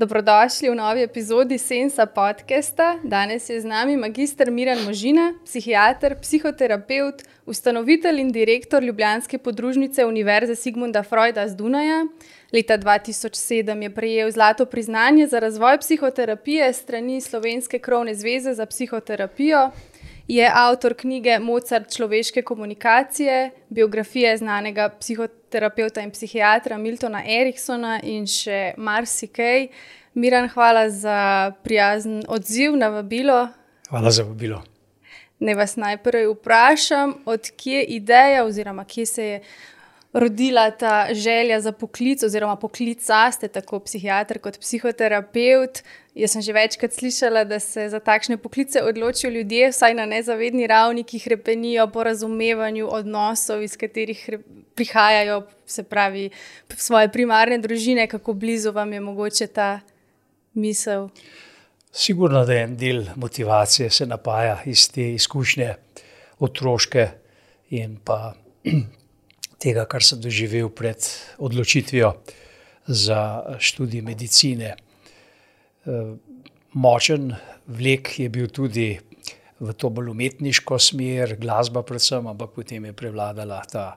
Dobrodošli v novi epizodi Sensa podcasta. Danes je z nami magister Miran Možina, psihiater, psihoterapevt, ustanovitelj in direktor ljubljanske podružnice Univerze Sigmunda Freuda z Dunaja. Leta 2007 je prejel zlato priznanje za razvoj psihoterapije strani Slovenske krovne zveze za psihoterapijo. Je avtor knjige Mozart človeške komunikacije, biografije znanega psihoterapevta in psihiatra Miltona Eriksona in še marsikaj. Miran, hvala za prijazen odziv na vabilo. Hvala za vabilo. Naj vas najprej vprašam, od kje ideja oziroma kje se je rodila ta želja za poklic oziroma poklica, ste tako psihiater kot psihoterapevt. Jaz sem že večkrat slišala, da se za takšne poklice odločijo ljudje, vsaj na nezavedni ravni, ki hrepenijo po razumevanju odnosov, iz katerih prihajajo, se pravi, svoje primarne družine. Kako blizu vam je mogoče ta misel? Sigurno, da je en del motivacije se napaja iz te izkušnje otroške in pa tega, kar sem doživel pred odločitvijo za študij medicine. Močen vlek je bil tudi v to bolj umetniško smer, glasba predvsem, ampak potem je prevladala ta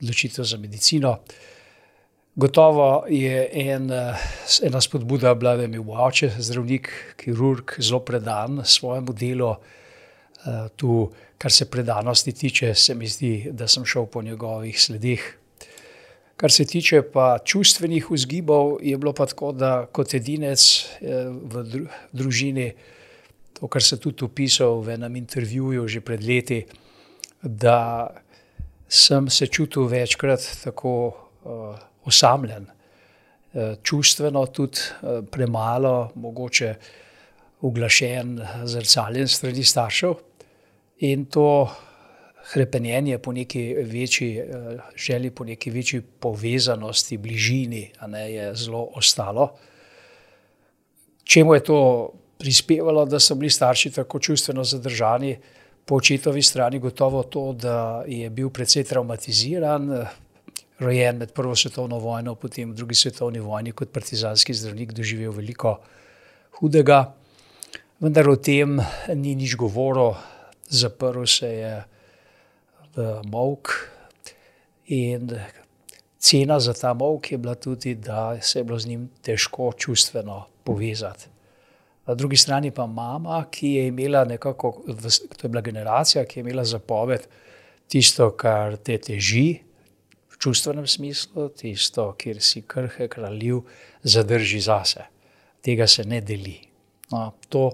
odločitev za medicino. Gotovo je ena spodbuda bila, da je imel oče, zdravnik, kirurg, zelo predan svojemu delu. Tu, kar se predanosti tiče, se mi zdi, da sem šel po njegovih sledeh. Kar se tiče pa čustvenih vzgibov, je bilo pa tako, da kot edinec v družini, to, kar sem tudi opisal v enem intervjuju že pred leti, da sem se čutil večkrat tako osamljen. Čustveno tudi premalo, mogoče uglašen, zrcaljen strani staršev. In to hrepenjenje po neki večji želji, po neki večji povezanosti, bližini, je zelo ostalo. Čemu je to prispevalo, da so bili starši tako čustveno zadržani? Po očetovi strani gotovo to, da je bil precej travmatiziran, rojen med Prvo svetovno vojno, potem v Drugi svetovni vojni kot partizanski zdravnik doživel veliko hudega. Vendar o tem ni nič govoril. Zaprl se je v molk in cena za ta molk je bila tudi, da se je bilo z njim težko čustveno povezati. Na drugi strani pa mama, ki je imela nekako, to je bila generacija, ki je imela zapoved tisto, kar te teži v čustvenem smislu, tisto, kjer si krhek, ranljiv, zadrži zase. Tega se ne deli. To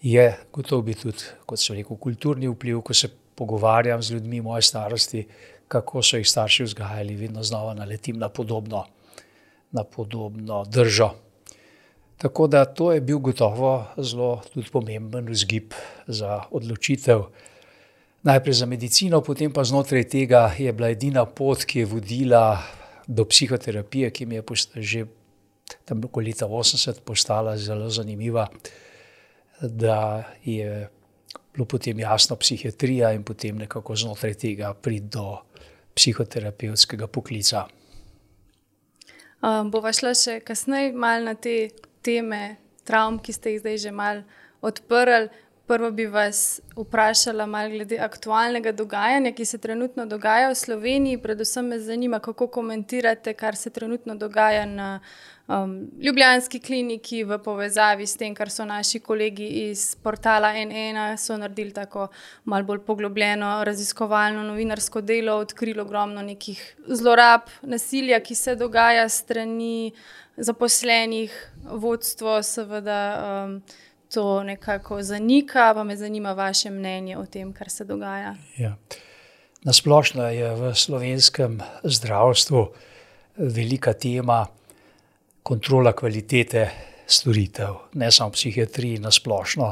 je gotovo bi tudi, kot so rekel, kulturni vpliv, ko se pogovarjam z ljudmi moje starosti, kako so jih starši vzgajali, vedno znova naletim na podobno držo. Tako da to je bil gotovo zelo tudi pomemben vzgib za odločitev. Najprej za medicino, potem pa znotraj tega je bila edina pot, ki je vodila do psihoterapije, ki mi je že tam okoli leta 80 postala zelo zanimiva, da je bilo potem jasno psihiatrija in potem nekako znotraj tega priti do psihoterapevtskega poklica. Bova šla še kasneje malo na te teme travm, ki ste jih zdaj že malo odprli. Prvo bi vas vprašala malo glede aktualnega dogajanja, ki se trenutno dogaja v Sloveniji. Predvsem me zanima, kako komentirate, kar se trenutno dogaja na ljubljanski kliniki v povezavi s tem, kar so naši kolegi iz portala N1 so naredili tako malo bolj poglobljeno raziskovalno novinarsko delo, odkrilo ogromno nekih zlorab, nasilja, ki se dogaja s strani zaposlenih, vodstvo seveda to nekako zanika, pa me zanima vaše mnenje o tem, kar se dogaja. Ja. Na splošno je v slovenskem zdravstvu velika tema kontrola kvalitete storitev, ne samo psihiatriji, na splošno.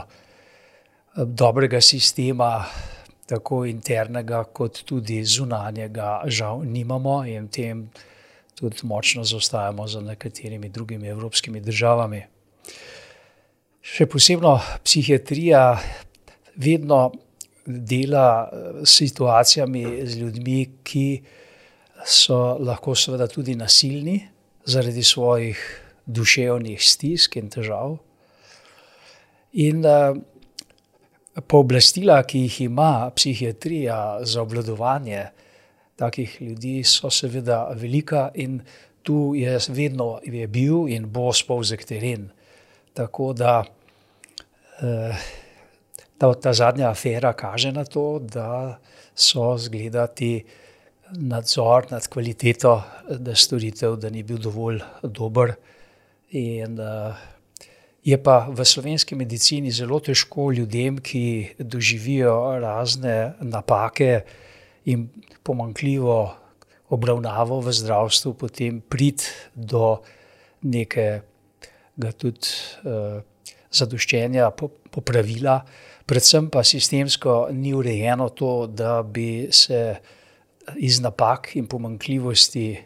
Dobrega sistema, tako internega kot tudi zunanjega, žal nimamo in tem tudi močno zaostajamo za nekaterimi drugimi evropskimi državami. Še posebno psihiatrija vedno dela s situacijami z ljudmi, ki so lahko seveda tudi nasilni zaradi svojih duševnih stisk in težav. In pooblastila, ki jih ima psihiatrija za obvladovanje takih ljudi, so seveda velika in tu je vedno bil in bo spolzek teren. Tako da ta zadnja afera kaže na to, da so zgledati nadzor nad kvaliteto storitev, da ni bil dovolj dober. In je pa v slovenski medicini zelo težko ljudem, ki doživijo razne napake in pomanjkljivo obravnavo v zdravstvu, potem priti do nekega tudi zadoščenja, popravila. Predvsem pa sistemsko ni urejeno to, da bi se iz napak in pomanjkljivosti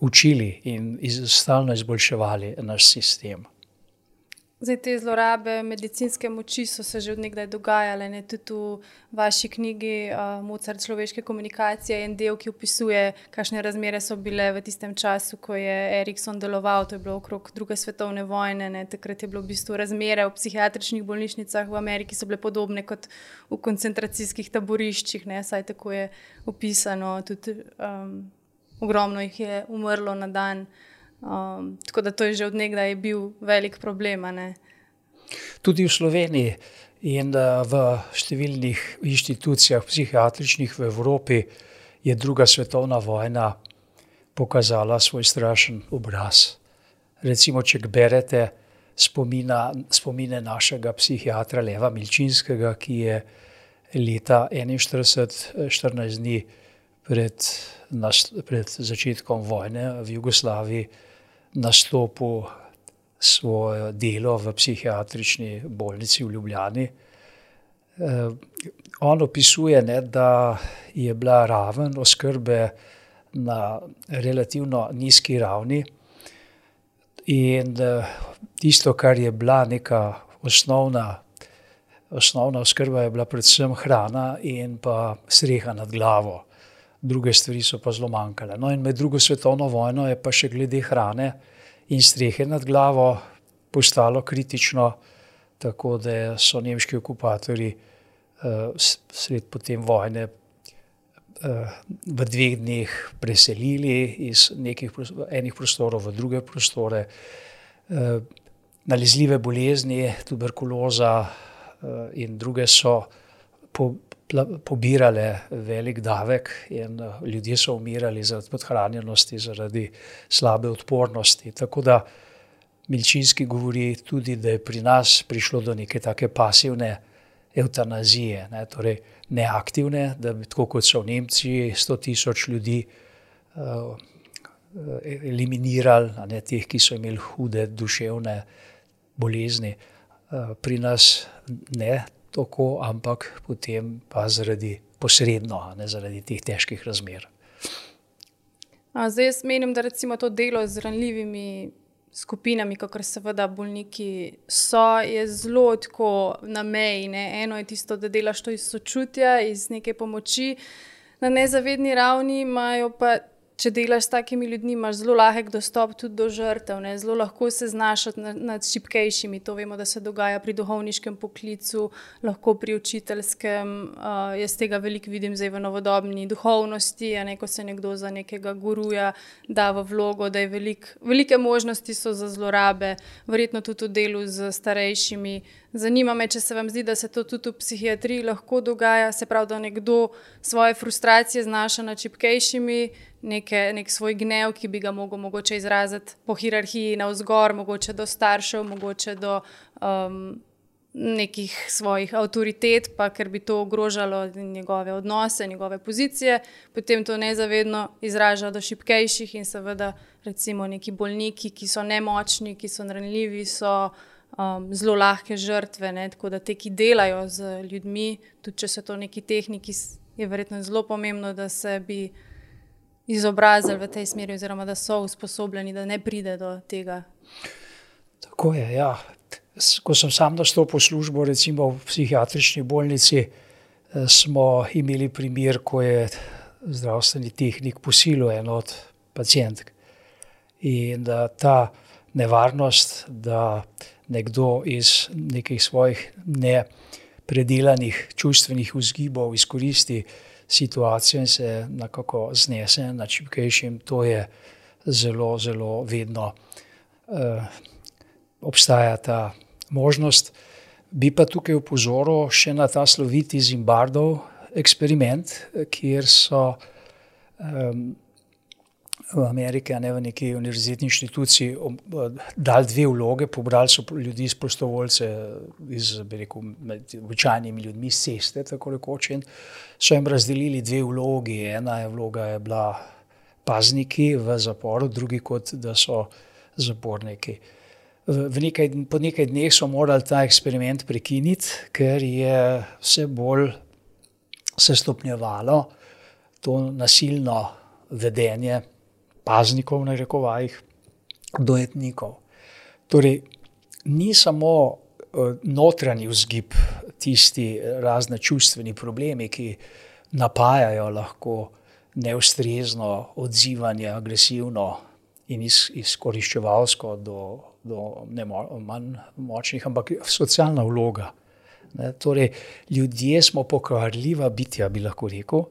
učili in stalno izboljševali naš sistem. Zdaj, te zlorabe medicinske moči so se že od nekdaj dogajale. Tudi v vaši knjigi Mozart človeške komunikacije je en del, ki opisuje, kakšne razmere so bile v tistem času, ko je Erikson deloval. To je bilo okrog druge svetovne vojne. Takrat je bilo v bistvu razmere v psihiatričnih bolnišnicah v Ameriki so bile podobne kot v koncentracijskih taboriščih. Saj tako je opisano. Tudi ogromno jih je umrlo na dan. Tako da to je že od nekdaj bil velik problem. Tudi v Sloveniji in v številnih inštitucijah psihiatričnih v Evropi je druga svetovna vojna pokazala svoj strašen obraz. Recimo, če berete spomine našega psihiatra Leva Milčinskega, ki je leta 1941, 14 dni pred začetkom vojne v Jugoslaviji nastopil svoje delo v psihiatrični bolnici v Ljubljani. On opisuje, da je bila raven oskrbe na relativno nizki ravni in tisto, kar je bila neka osnovna oskrba, je bila predvsem hrana in pa streha nad glavo. Druge stvari so pa zelo manjkale. No, in med drugo svetovno vojno je pa še glede hrane in strehe nad glavo postalo kritično, tako da so nemški okupatorji sred potem vojne v 2 dneh preselili iz enih prostorov v druge prostore. Nalezljive bolezni, tuberkuloza in druge so pobirale velik davek in ljudje so umirali zaradi podhranjenosti, zaradi slabe odpornosti. Tako da Milčinski govori tudi, da je pri nas prišlo do neke take pasivne evtanazije, torej neaktivne, da bi tako kot so v Nemčiji 100.000 ljudi eliminirali, teh, ki so imeli hude duševne bolezni. Pri nas ne tako, ampak potem pa posredno, zaradi teh težkih razmer. Zdaj jaz menim, da recimo to delo z ranljivimi skupinami, kakor seveda bolniki so, je zelo tako na meji. Eno je tisto, da delaš to iz sočutja, iz neke pomoči. Na nezavedni ravni imajo pa, če delaš s takimi ljudmi, imaš zelo lahek dostop tudi do žrtev. Zelo lahko se znašati nad šibkejšimi. To vemo, da se dogaja pri duhovniškem poklicu, lahko pri učiteljskem. Jaz tega veliko vidim zdaj v novodobni duhovnosti, ko se nekdo za nekega guruja da v vlogo, da je velike možnosti so za zlorabe, verjetno tudi v delu z starejšimi. Zanima me, če se vam zdi, da se to tudi v psihiatriji lahko dogaja, se pravi, da nekdo svoje frustracije znaša nad šibkejšimi, nek svoj gnev, ki bi ga mogoče izraziti po hierarhiji navzgor, mogoče do staršev, mogoče do nekih svojih avtoritet, pa ker bi to ogrožalo njegove odnose, njegove pozicije, potem to nezavedno izraža do šibkejših in seveda recimo neki bolniki, ki so nemočni, ki so ranljivi, so zelo lahke žrtve, tako da te, ki delajo z ljudmi, tudi če so to neki tehniki, je verjetno zelo pomembno, da se bi izobrazili v tej smeri oziroma da so usposobljeni, da ne pride do tega. Tako je, ja. Ko sem sam nastopil službo, recimo v psihiatrični bolnici, smo imeli primer, ko je zdravstveni tehnik posilil eno od pacientk. In ta nevarnost, da nekdo iz nekih svojih nepredelanih čustvenih vzgibov izkoristi situacijo in se nekako znese nad šibkejšim. To je zelo, zelo vedno obstaja ta možnost. Bi pa tukaj opozoril še na ta sloviti Zimbardov eksperiment, kjer so v Ameriki, a ne v neki univerzitetni inštituciji, dali 2 vloge, pobrali so ljudi, prostovoljce med običajnimi ljudmi s ceste, tako rekoč, in so jim razdelili 2 vlogi. Ena vloga je bila pazniki v zaporu, drugi kot da so zaporniki. Po nekaj dneh so morali ta eksperiment prekiniti, ker je vse bolj se stopnjevalo to nasilno vedenje paznikov, v narekovajih, dojetnikov. Torej, ni samo notranji vzgib tisti razne čustveni problemi, ki napajajo lahko neustrezno odzivanje, agresivno in izkoriščevalsko do manj močnih, ampak socialna vloga. Torej, ljudje smo pokvarljiva bitja, bi lahko rekel,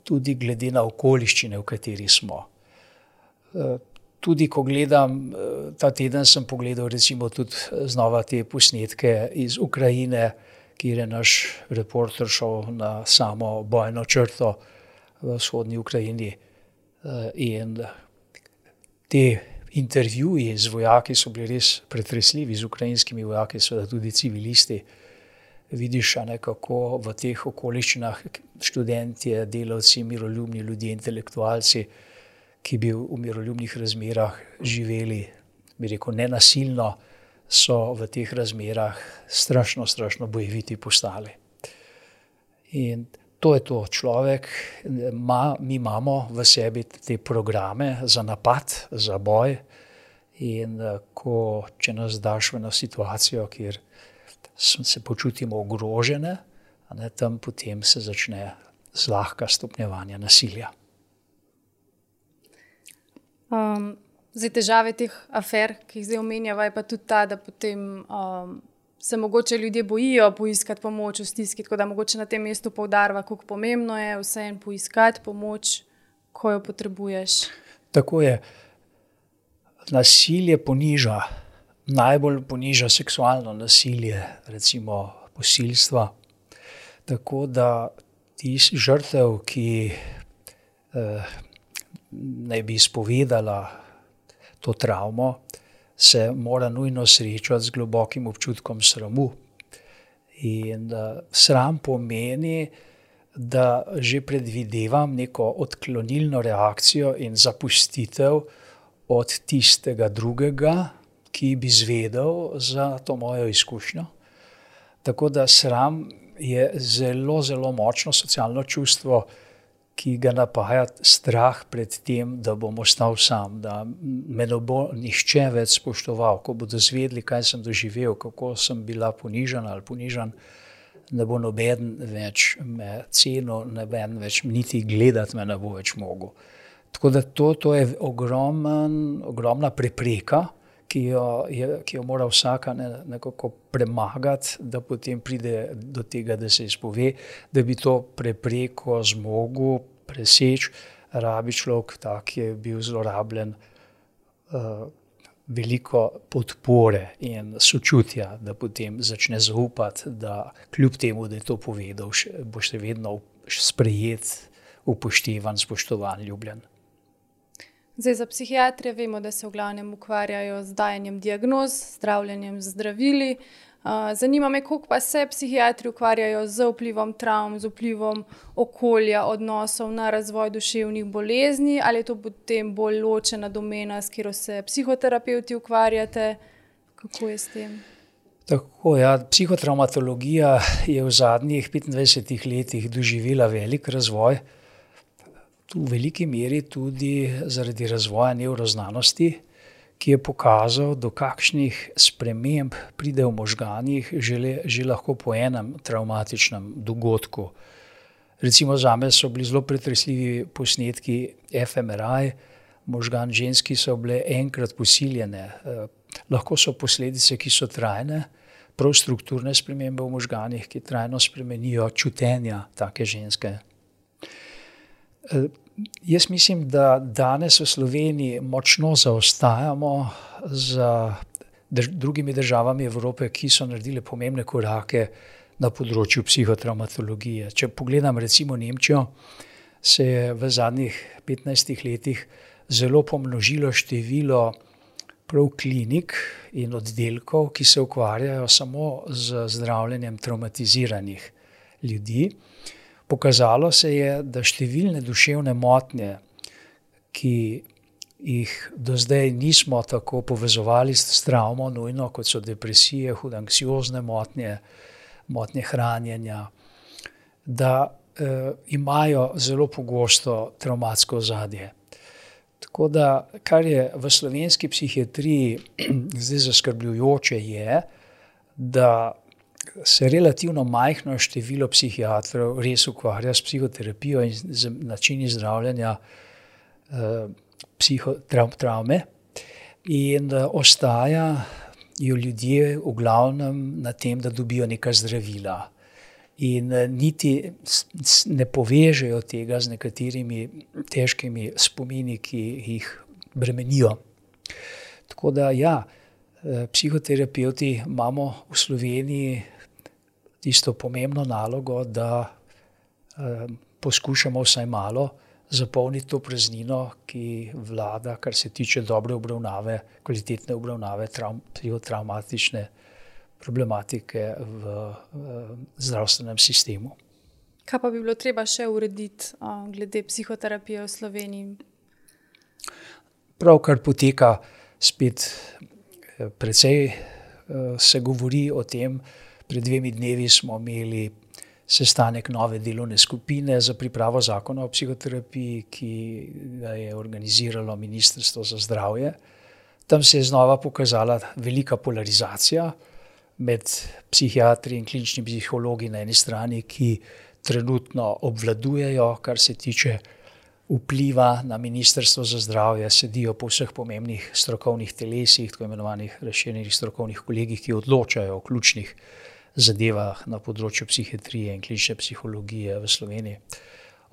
tudi glede na okoliščine, v kateri smo. Tudi ko gledam, ta teden sem pogledal recimo tudi znova te posnetke iz Ukrajine, kjer je naš reporter šel na samo bojno črto v vzhodni Ukrajini. In te intervjuji z vojaki so bili res pretresljivi, z ukrajinskimi vojaki, seveda tudi civilisti. Vidiš, kako v teh okoliščinah študentje, delavci, miroljubni ljudje, intelektualci, ki bi v miroljubnih razmerah živeli, bi rekel, nenasilno, so v teh razmerah strašno, strašno bojeviti postali. In to je to. Človek, mi imamo v sebi te programe za napad, za boj, in če nas daš v eno situacijo, kjer se počutimo ogrožene, tam potem se začne zlahka stopnjevanje nasilja. Zdaj, težave teh afer, ki jih zdaj omenjava, je pa tudi ta, da potem se mogoče ljudje bojijo poiskati pomoč v stiski, tako da mogoče na tem mestu poudarva, kako pomembno je vseeno poiskati pomoč, ko jo potrebuješ. Tako je. Nasilje poniža. Najbolj poniža seksualno nasilje, recimo posilstva. Tako da žrtev, ki naj bi izpovedala to travmo, se mora nujno srečati z globokim občutkom sramu. In sram pomeni, da že predvidevam neko odklonilno reakcijo in zapustitev od tistega drugega, ki bi izvedel za to mojo izkušnjo. Tako da sram je zelo, zelo močno socialno čustvo, ki ga napaja strah pred tem, da bom ostal sam, da me ne bo nihče več spoštoval. Ko bodo zvedeli, kaj sem doživel, kako sem bila ponižana ali ponižan, ne bo noben več me cenil, noben več niti gledati me ne bo več mogel. Tako da to je ogromna prepreka, ki jo mora vsaka nekako premagati, da potem pride do tega, da se izpove, da bi to prepreko zmogel preseči, rabi človek, tak je bil zlorabljen, veliko podpore in sočutja, da potem začne zaupati, da kljub temu, da je to povedal, bo še vedno sprejet, upoštevan, spoštovan, ljubljen. Zdaj, za psihiatre vemo, da se v glavnem ukvarjajo z dajanjem diagnoz, zdravljenjem z zdravili. Zanima me, koliko pa se psihiatri ukvarjajo z vplivom travm, z vplivom okolja, odnosov na razvoj duševnih bolezni, ali je to potem bolj ločena domena, s katero se psihoterapevti ukvarjate? Kako je s tem? Tako, ja, psihotravmatologija je v zadnjih 25 letih doživela velik razvoj, v veliki meri tudi zaradi razvoja nevroznanosti, ki je pokazal, do kakšnih sprememb pride v možganih že lahko po enem travmatičnem dogodku. Recimo zame so bili zelo pretresljivi posnetki fMRI možgan žensk, ki so bile enkrat posiljene. Lahko so posledice, ki so trajne, prav strukturne spremembe v možganih, ki trajno spremenijo čutenja take ženske. Jaz mislim, da danes v Sloveniji močno zaostajamo za drugimi državami Evrope, ki so naredile pomembne korake na področju psihotravmatologije. Če pogledam recimo Nemčijo, se je v zadnjih 15 letih zelo pomnožilo število prav klinik in oddelkov, ki se ukvarjajo samo z zdravljenjem travmatiziranih ljudi. Pokazalo se je, da številne duševne motnje, ki jih do zdaj nismo tako povezovali s travmo nujno, kot so depresije, hude anksiozne motnje, motnje hranjenja, da imajo zelo pogosto travmatsko ozadje. Tako da, kar je v slovenski psihiatriji zdaj zaskrbljujoče je, da se relativno majhno število psihiatrov res ukvarja s psihoterapijo in z načini zdravljenja travme in ostajajo ljudje v glavnem na tem, da dobijo neka zdravila. In niti ne povežejo tega z nekaterimi težkimi spomini, ki jih bremenijo. Tako da ja, psihoterapevti imamo v Sloveniji tisto pomembno nalogo, da poskušamo vsaj malo zapolniti to praznino, ki vlada, kar se tiče dobre obravnave, kvalitetne obravnave psihotravmatične problematike v zdravstvenem sistemu. Kaj pa bi bilo treba še urediti glede psihoterapije v Sloveniji? Pravkar poteka spet precej se govori o tem. Pred 2 dnevi smo imeli sestanek nove delovne skupine za pripravo zakona o psihoterapiji, ki ga je organiziralo Ministrstvo za zdravje. Tam se je znova pokazala velika polarizacija med psihiatri in kliničnimi psihologi na eni strani, ki trenutno obvladujejo, kar se tiče vpliva na Ministrstvo za zdravje, sedijo po vseh pomembnih strokovnih telesih, tako imenovanih razširjenih strokovnih kolegih, ki odločajo o ključnih zadevah na področju psihiatrije in klinične psihologije v Sloveniji.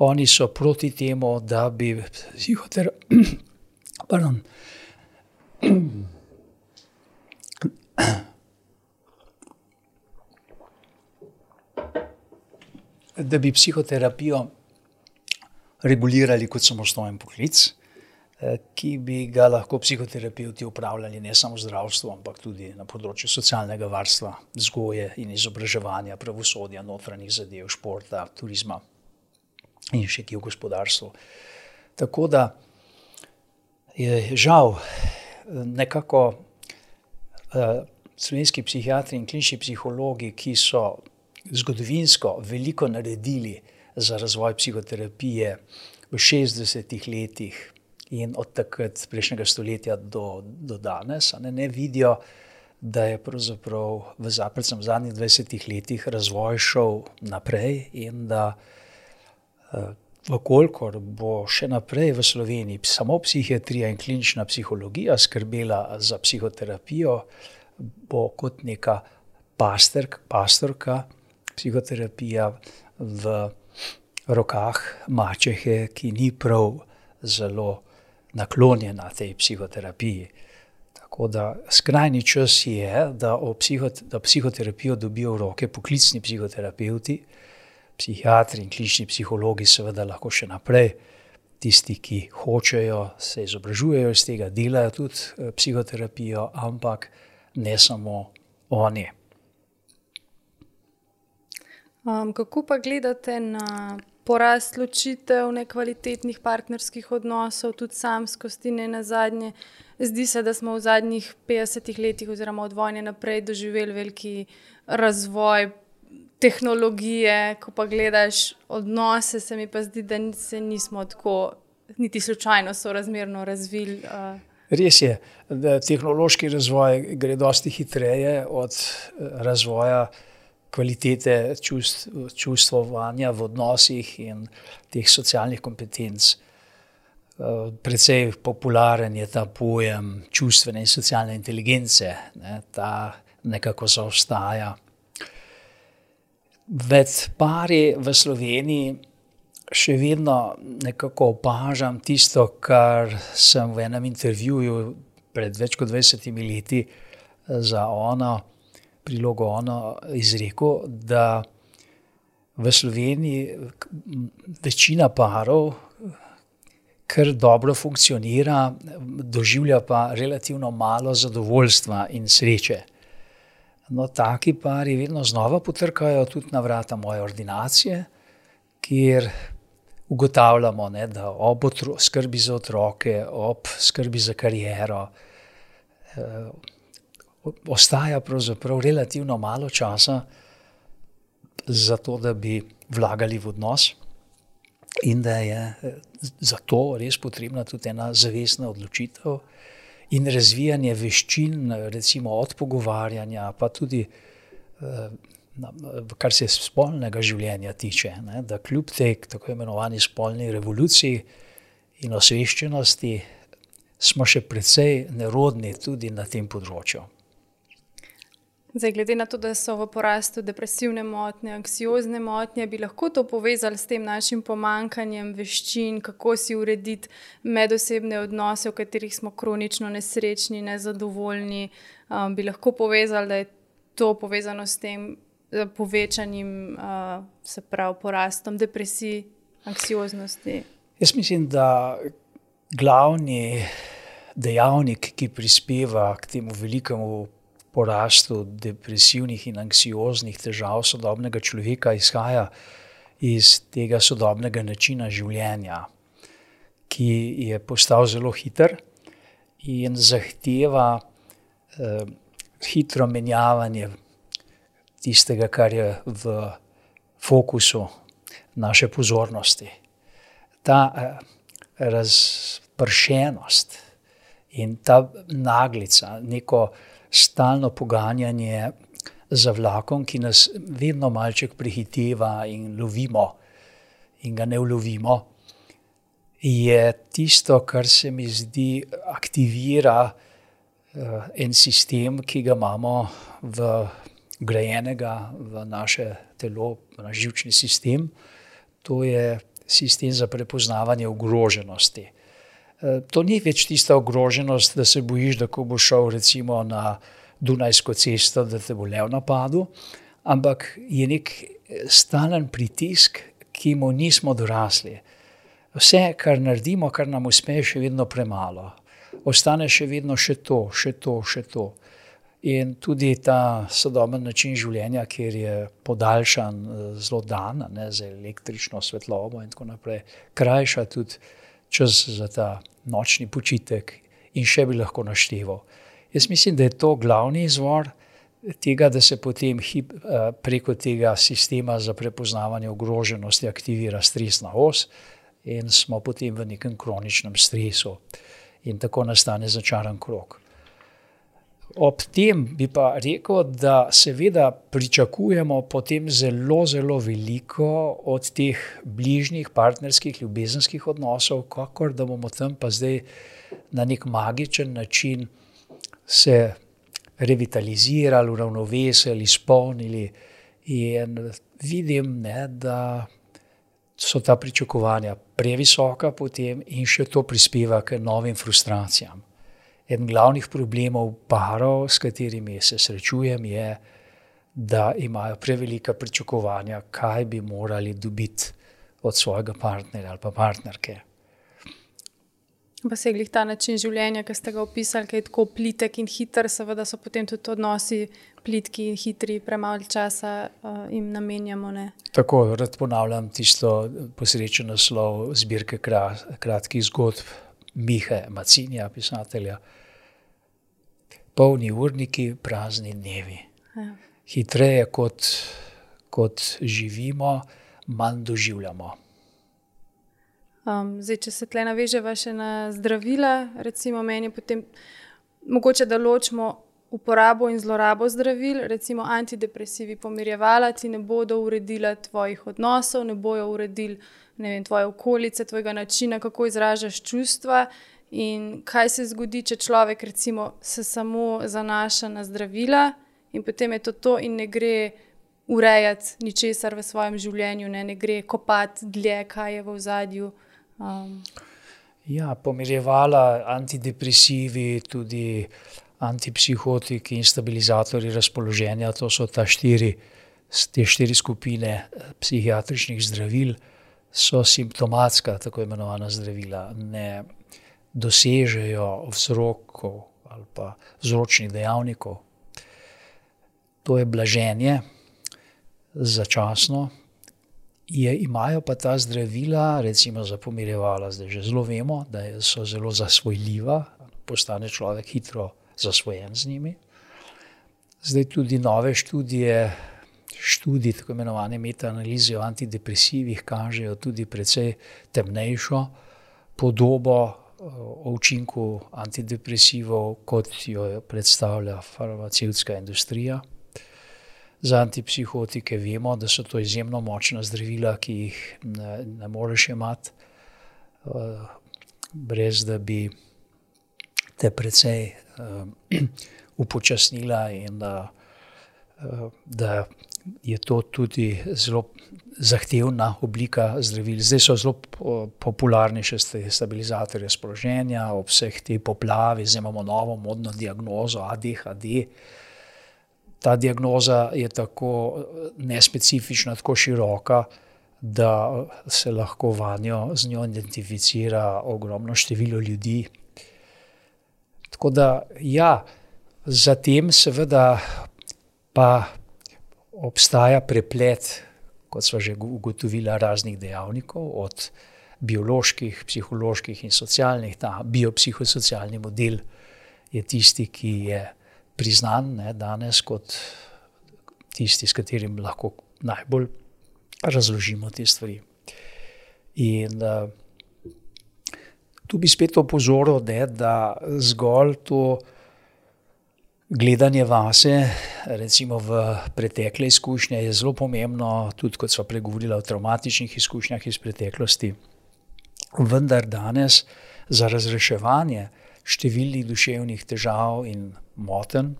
Oni so proti temu, da bi psihoterapijo regulirali kot samostojen poklic, ki bi ga lahko psihoterapevti upravljali ne samo v zdravstvu, ampak tudi na področju socialnega varstva, vzgoje in izobraževanja, pravosodja, notranjih zadev, športa, turizma in še kje v gospodarstvu. Tako da je žal nekako slovenski psihiatri in klinični psihologi, ki so zgodovinsko veliko naredili za razvoj psihoterapije v 60 letih in od takrat prejšnjega stoletja do danes, ne vidijo, da je pravzaprav v zadnjih 20 letih razvoj šel naprej in da vkolikor bo še naprej v Sloveniji samo psihiatrija in klinična psihologija skrbela za psihoterapijo, bo kot neka pastorka psihoterapija v rokah mačehe, ki ni prav zelo naklonjena tej psihoterapiji. Tako da skrajni čas je, da psihoterapijo dobijo v roke poklicni psihoterapevti, psihiatri in klinični psihologi seveda lahko še naprej, tisti, ki hočejo, se izobražujejo iz tega, delajo tudi psihoterapijo, ampak ne samo oni. Kako pa gledate na porast ločitev, nekvalitetnih partnerskih odnosov, tudi samskosti, ne nazadnje? Zdi se, da smo v zadnjih 50 letih oziroma od vojne naprej doživeli veliki razvoj tehnologije. Ko pa gledaš odnose, se mi pa zdi, da se nismo tako niti slučajno sorazmerno razvili. Res je, da tehnološki razvoj gre dosti hitreje od razvoja kvalitete čustvovanja v odnosih in teh socialnih kompetenc. Precej popularen je ta pojem čustvene in socialne inteligence, ne, ta nekako zaostaja. Med pari v Sloveniji še vedno nekako opažam tisto, kar sem v enem intervjuju pred več kot 20 leti za prilogo izrekel, da v Sloveniji večina parov kar dobro funkcionira, doživlja pa relativno malo zadovoljstva in sreče. No, taki pari vedno znova potrkajo tudi na vrata moje ordinacije, kjer ugotavljamo, ne, da ob skrbi za otroke, ob skrbi za kariero, ostaja pravzaprav relativno malo časa za to, da bi vlagali v odnos. In da je zato res potrebna tudi ena zavestna odločitev in razvijanje veščin, recimo od pogovarjanja, pa tudi kar se spolnega življenja tiče, ne, da kljub tej tako imenovani spolni revoluciji in osveščenosti smo še precej nerodni tudi na tem področju. Zdaj, glede na to, da so v porastu depresivne motnje, anksiozne motnje, bi lahko to povezali s tem našim pomanjkanjem veščin, kako si urediti medosebne odnose, v katerih smo kronično nesrečni, nezadovoljni. Bi lahko povezali, da je to povezano s tem povečanim, se pravi, porastom depresij, anksioznosti? Jaz mislim, da glavni dejavnik, ki prispeva k temu velikemu porastu depresivnih in anksioznih težav sodobnega človeka, izhaja iz tega sodobnega načina življenja, ki je postal zelo hiter in zahteva hitro menjavanje tistega, kar je v fokusu naše pozornosti. Ta razpršenost in ta naglica, neko stalno poganjanje za vlakom, ki nas vedno malček prehiteva in lovimo in ga ne ulovimo, je tisto, kar se mi zdi aktivira en sistem, ki ga imamo vgrajenega v naše telo, v naš živčni sistem. To je sistem za prepoznavanje ogroženosti. To ni več tista ogroženost, da se bojiš, da ko boš šel recimo na Dunajsko cesto, da te bo lev napadel, ampak je nek stalen pritisk, ki mu nismo dorasli. Vse, kar naredimo, kar nam uspe, je še vedno premalo. Ostane še vedno še to. In tudi ta sodoben način življenja, kjer je podaljšan zelo dan, ne, z električno svetlobo in tako naprej, krajša tudi čas za ta nočni počitek in še bi lahko našteval. Jaz mislim, da je to glavni izvor tega, da se potem preko tega sistema za prepoznavanje ogroženosti aktivira stresna os in smo potem v nekem kroničnem stresu in tako nastane začaran krog. Ob tem bi pa rekel, da seveda pričakujemo potem zelo, zelo veliko od teh bližnjih partnerskih, ljubezenskih odnosov, kakor da bomo tam pa zdaj na nek magičen način se revitalizirali, uravnovesili, izpolnili. In vidim, ne, da so ta pričakovanja previsoka potem in še to prispeva k novim frustracijam. En glavnih problemov parov, s katerimi se srečujem, je, da imajo prevelika pričakovanja, kaj bi morali dobiti od svojega partnerja ali pa partnerke. Pa se je glih ta način življenja, ki ste ga opisali, ki je tako plitek in hiter, seveda so potem tudi odnosi plitki in hitri, premalo časa jim namenjamo, ne? Tako, rad ponavljam tisto posrečen naslov zbirke kratkih zgodb Mihe Macinija, pisatelja. Polni urniki, prazni dnevi. Ja. Hitreje kot živimo, manj doživljamo. Zdaj, če se tle naveževa še na zdravila, recimo meni potem mogoče, da ločimo uporabo in zlorabo zdravil, recimo antidepresivi, pomirjevala ti ne bodo uredila tvojih odnosov, ne bojo uredili ne vem, tvoje okolice, tvojega načina, kako izražaš čustva. In kaj se zgodi, če človek recimo se samo zanaša na zdravila in potem je to in ne gre urejati ničesar v svojem življenju, ne gre kopati dlje, kaj je v ozadju. Ja, pomirjevala, antidepresivi, tudi antipsihotiki in stabilizatorji razpoloženja, to so te štiri skupine psihiatričnih zdravil, so simptomatska, tako imenovana zdravila, ne dosežejo vzrokov ali pa vzročnih dejavnikov. To je blaženje začasno. Imajo pa ta zdravila, recimo za pomirjevala, zdaj že zelo vemo, da so zelo zasvojljiva, postane človek hitro zasvojen z njimi. Zdaj tudi nove študije, tako imenovane metaanalize o antidepresivih kažejo tudi precej temnejšo podobo o učinku antidepresivov, kot jo predstavlja farmacevtska industrija. Za antipsihotike vemo, da so to izjemno močna zdravila, ki jih ne moreš jemati, brez da bi te precej upočasnila in da je to tudi zelo zahtevna oblika zdravil. Zdaj so zelo popularni še stabilizatorji razpoloženja, ob vseh tej poplavi, zdaj imamo novo modno diagnozo ADHD. Ta diagnoza je tako nespecifična, tako široka, da se lahko z njo identificira ogromno število ljudi. Tako da, ja, zatem seveda pa obstaja preplet, kot sva že ugotovila, raznih dejavnikov, od bioloških, psiholoških in socialnih. Ta biopsihosocialni model je tisti, ki je priznan danes kot tisti, s katerim lahko najbolj razložimo te stvari. In tu bi spet opozoril, da zgolj to gledanje vase, recimo v pretekle izkušnje, je zelo pomembno, tudi kot sva pregovorila o travmatičnih izkušnjah iz preteklosti. Vendar danes za razreševanje številnih duševnih težav in motenj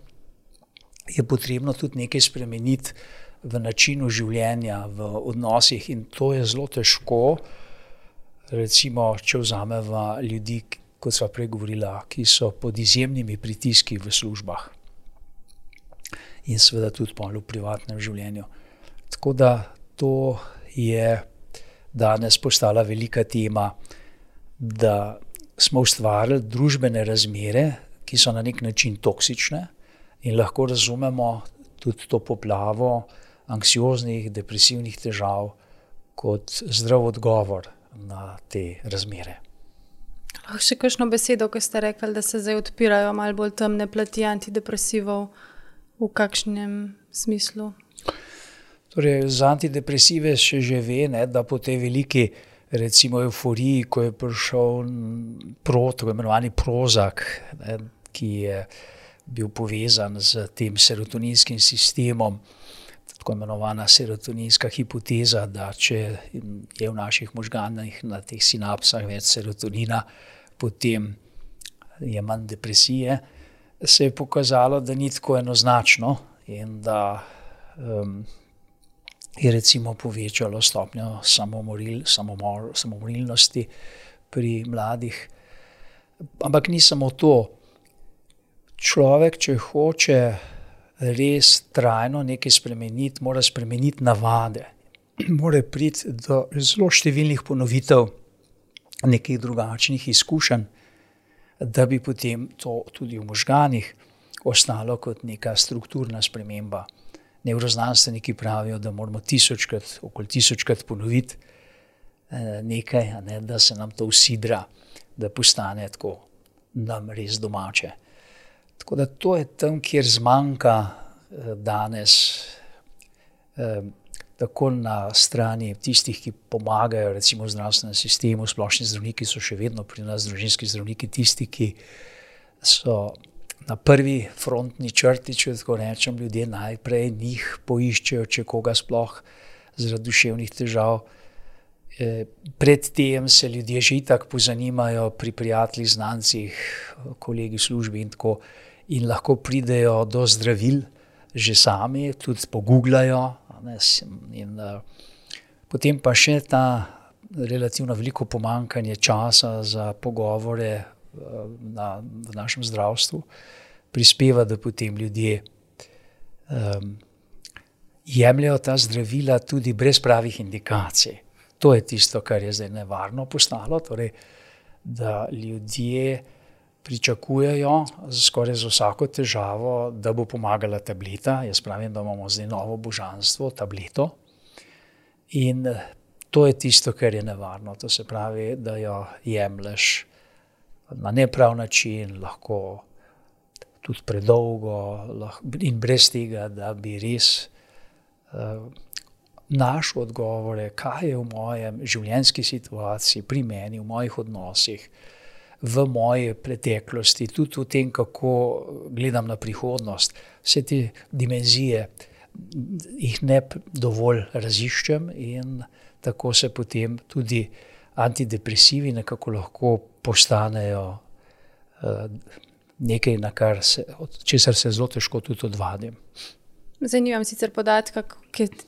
je potrebno tudi nekaj spremeniti v načinu življenja, v odnosih, in to je zelo težko. Recimo, če vzameva ljudi, kot sva prej govorila, ki so pod izjemnimi pritiski v službah in seveda tudi v privatnem življenju. Tako da to je danes postala velika tema, da smo ustvarili družbene razmere, ki so na nek način toksične, in lahko razumemo tudi to poplavo anksioznih, depresivnih težav kot zdrav odgovor na te razmere. Še kakšno besedo, ko ste rekli, da se zdaj odpirajo malo bolj temne plati antidepresivov, v kakšnem smislu? Torej, za antidepresive še že ve, da po tej veliki recimo euforiji, ko je prišel tako imenovani Prozac, ki je bil povezan z tem serotoninskim sistemom, tako imenovana serotoninska hipoteza, da če je v naših možganih na teh sinapsah več serotonina, potem je manj depresije, se je pokazalo, da ni tako enoznačno in da je recimo povečalo stopnjo samomorilnosti pri mladih. Ampak ni samo to. Človek, če hoče res trajno nekaj spremeniti, mora spremeniti navade. Mora priti do zelo številnih ponovitev nekih drugačnih izkušenj, da bi potem to tudi v možganih ostalo kot neka strukturna sprememba. Nevroznanstveniki pravijo, da moramo okoli tisočkrat ponoviti nekaj, da se nam to usidra, da postane tako nam res domače. Tako da to je tam, kjer zmanjka danes, tako na strani tistih, ki pomagajo recimo v zdravstvenem sistemu. Splošni zdravniki so še vedno pri nas, družinski zdravniki, tisti, ki so na prvi frontni črti, če tako rečem. Ljudje najprej njih poiščejo, če koga sploh zaradi duševnih težav. Predtem se ljudje že itak pozanimajo pri prijateljih, znancih, kolegi v službi in tako, in lahko pridejo do zdravil že sami, tudi pogooglajo, in potem pa še ta relativno veliko pomanjkanje časa za pogovore v našem zdravstvu prispeva, da potem ljudje jemljajo ta zdravila tudi brez pravih indikacij. To je tisto, kar je zdaj nevarno postalo, torej, da ljudje pričakujejo skoraj za vsako težavo, da bo pomagala tableta. Jaz pravim, da imamo zdaj novo božanstvo, tableto. In to je tisto, kar je nevarno. To se pravi, da jo jemlješ na neprav način, lahko tudi predolgo in brez tega, da bi res našel odgovore, kaj je v mojem življenjski situaciji, pri meni, v mojih odnosih, v moji preteklosti, tudi v tem, kako gledam na prihodnost. Vse te dimenzije jih ne dovolj raziščem in tako se potem tudi antidepresivi nekako lahko postanejo nekaj, od česar se zelo težko tudi odvadim. Zdaj nimam sicer podatka,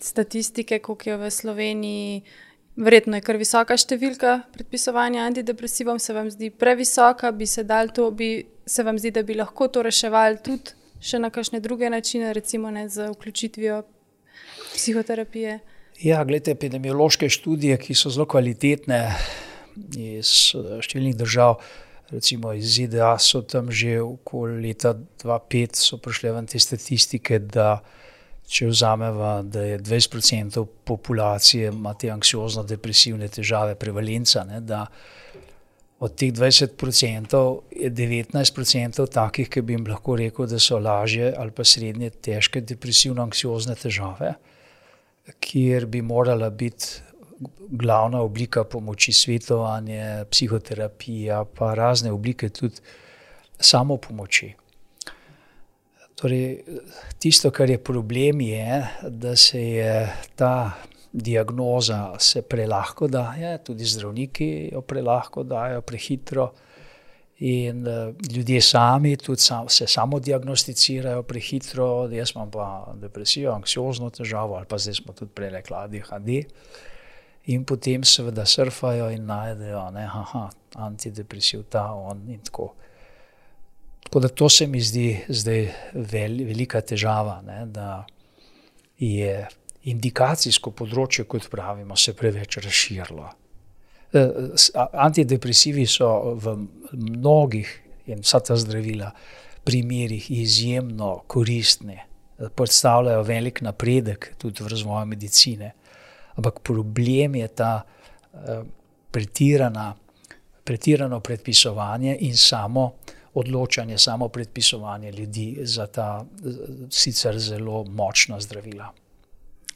statistike, koliko je v Sloveniji, verjetno je kar visoka številka predpisovanja antidepresivov, se vam zdi previsoka, se vam zdi, da bi lahko to reševali tudi še na kakšne druge načine, recimo z vključitvijo psihoterapije? Ja, gledajte, epidemiološke študije, ki so zelo kvalitetne iz številnih držav, recimo iz ZDA, so tam že okoli leta 2005 so prišle ven te statistike, da če vzameva, da je 20% populacije ima te anksiozno-depresivne težave, prevalenca, da od teh 20% je 19% takih, ki bi jim lahko rekel, da so lažje ali pa srednje težke depresivno-anksiozne težave, kjer bi morala biti glavna oblika pomoči svetovanje, psihoterapija, pa razne oblike tudi samopomoči. Torej, tisto, kar je problem, je, da se je ta diagnoza se prelahko daje, tudi zdravniki jo prelahko dajo, prehitro, in ljudje sami tudi se samodiagnosticirajo prehitro, jaz imam pa depresijo, anksiozno težavo, ali pa zdaj smo tudi prej rekli ADHD, in potem seveda surfajo in najdejo, antidepresiv ta, on in tako. Tako da to se mi zdi zdaj velika težava, da je indikacijsko področje, kot pravimo, se preveč razširilo. Antidepresivi so v mnogih, in vsa ta zdravila, primerih izjemno koristni, predstavljajo velik napredek tudi v razvoju medicine. Ampak problem je ta pretirano predpisovanje in samo odločanje, samo predpisovanje ljudi za ta sicer zelo močna zdravila.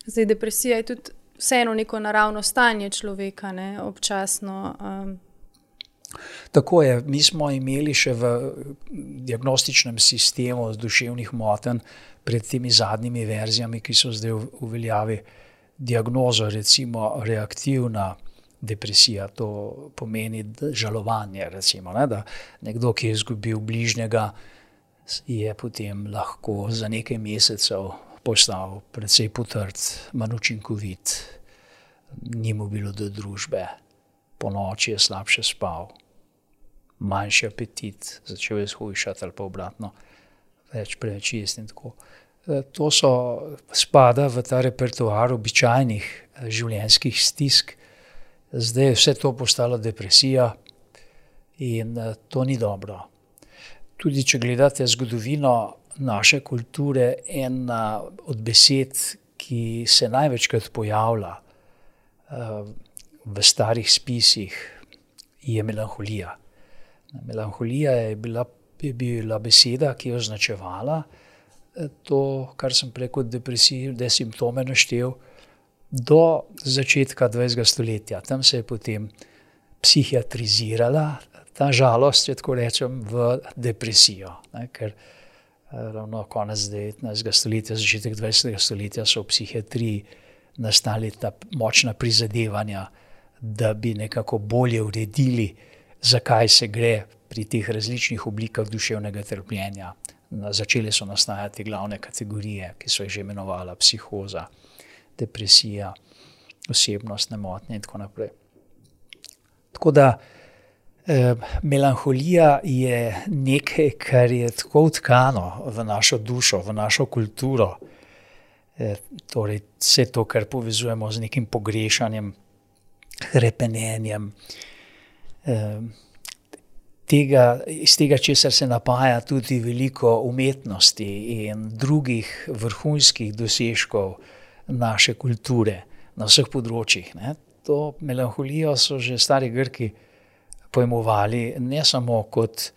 Zdaj, depresija je tudi vseeno neko naravno stanje človeka, občasno. Tako je. Mi smo imeli še v diagnostičnem sistemu duševnih motenj pred temi zadnjimi verzijami, ki so zdaj v veljavi, diagnozo, recimo reaktivna depresija, to pomeni žalovanje, recimo, da nekdo, ki je izgubil bližnjega, je potem lahko za nekaj mesecev postal precej potrt, manj učinkovit, ni mu bilo do družbe, ponoči je slabše spal, manjši apetit, začel je shujšati ali pa obratno, preveč jesti in tako. To spada v ta repertoar običajnih življenjskih stisk. Zdaj je vse to postalo depresija in to ni dobro. Tudi če gledate zgodovino naše kulture, ena od besed, ki se največkrat pojavlja v starih spisih, je melanholija. Melanholija je bila beseda, ki je označevala to, kar sem prej kot depresivne simptome naštel, do začetka 20. stoletja. Tam se je potem psihiatrizirala ta žalost, če tako rečem, v depresijo. Ker ravno konec 19. stoletja, začetek 20. stoletja so v psihiatriji nastali ta močna prizadevanja, da bi nekako bolje uredili, zakaj se gre pri teh različnih oblikah duševnega trpljenja. Začele so nastajati glavne kategorije, ki so jih že imenovala psihoza, depresija, osebnostne motnje in tako naprej. Tako da melanholija je nekaj, kar je tako vtkano v našo dušo, v našo kulturo. Torej vse to, kar povezujemo z nekim pogrešanjem, hrepenenjem, iz tega, česar se napaja tudi veliko umetnosti in drugih vrhunskih dosežkov naše kulture na vseh področjih. To melanholijo so že stari Grki pojmovali ne samo kot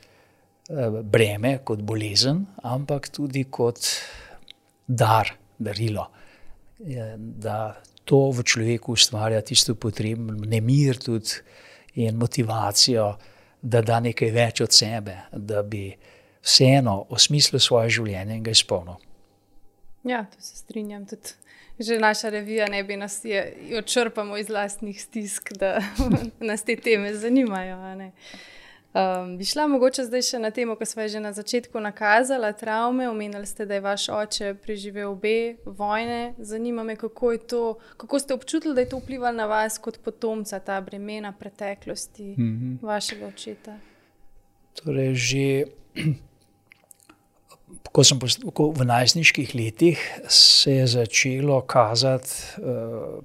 breme, kot bolezen, ampak tudi kot darilo. Da to v človeku ustvarja tisto potrebno nemir tudi in motivacijo, da da nekaj več od sebe, da bi vseeno osmislil svoje življenje in ga izpolnil. Ja, to se strinjam. Tudi že naša revija ne bi nas jo črpamo iz lastnih stisk, da nas te teme zanimajo. Bi šla mogoče zdaj še na temo, ko sva že na začetku nakazala, travme. Omenili ste, da je vaš oče preživel obe vojne. Zanima me, kako ste občutili, da je to vplivalo na vas kot potomca, ta bremena preteklosti vašega očeta? Torej že v najstniških letih se je začelo kazati,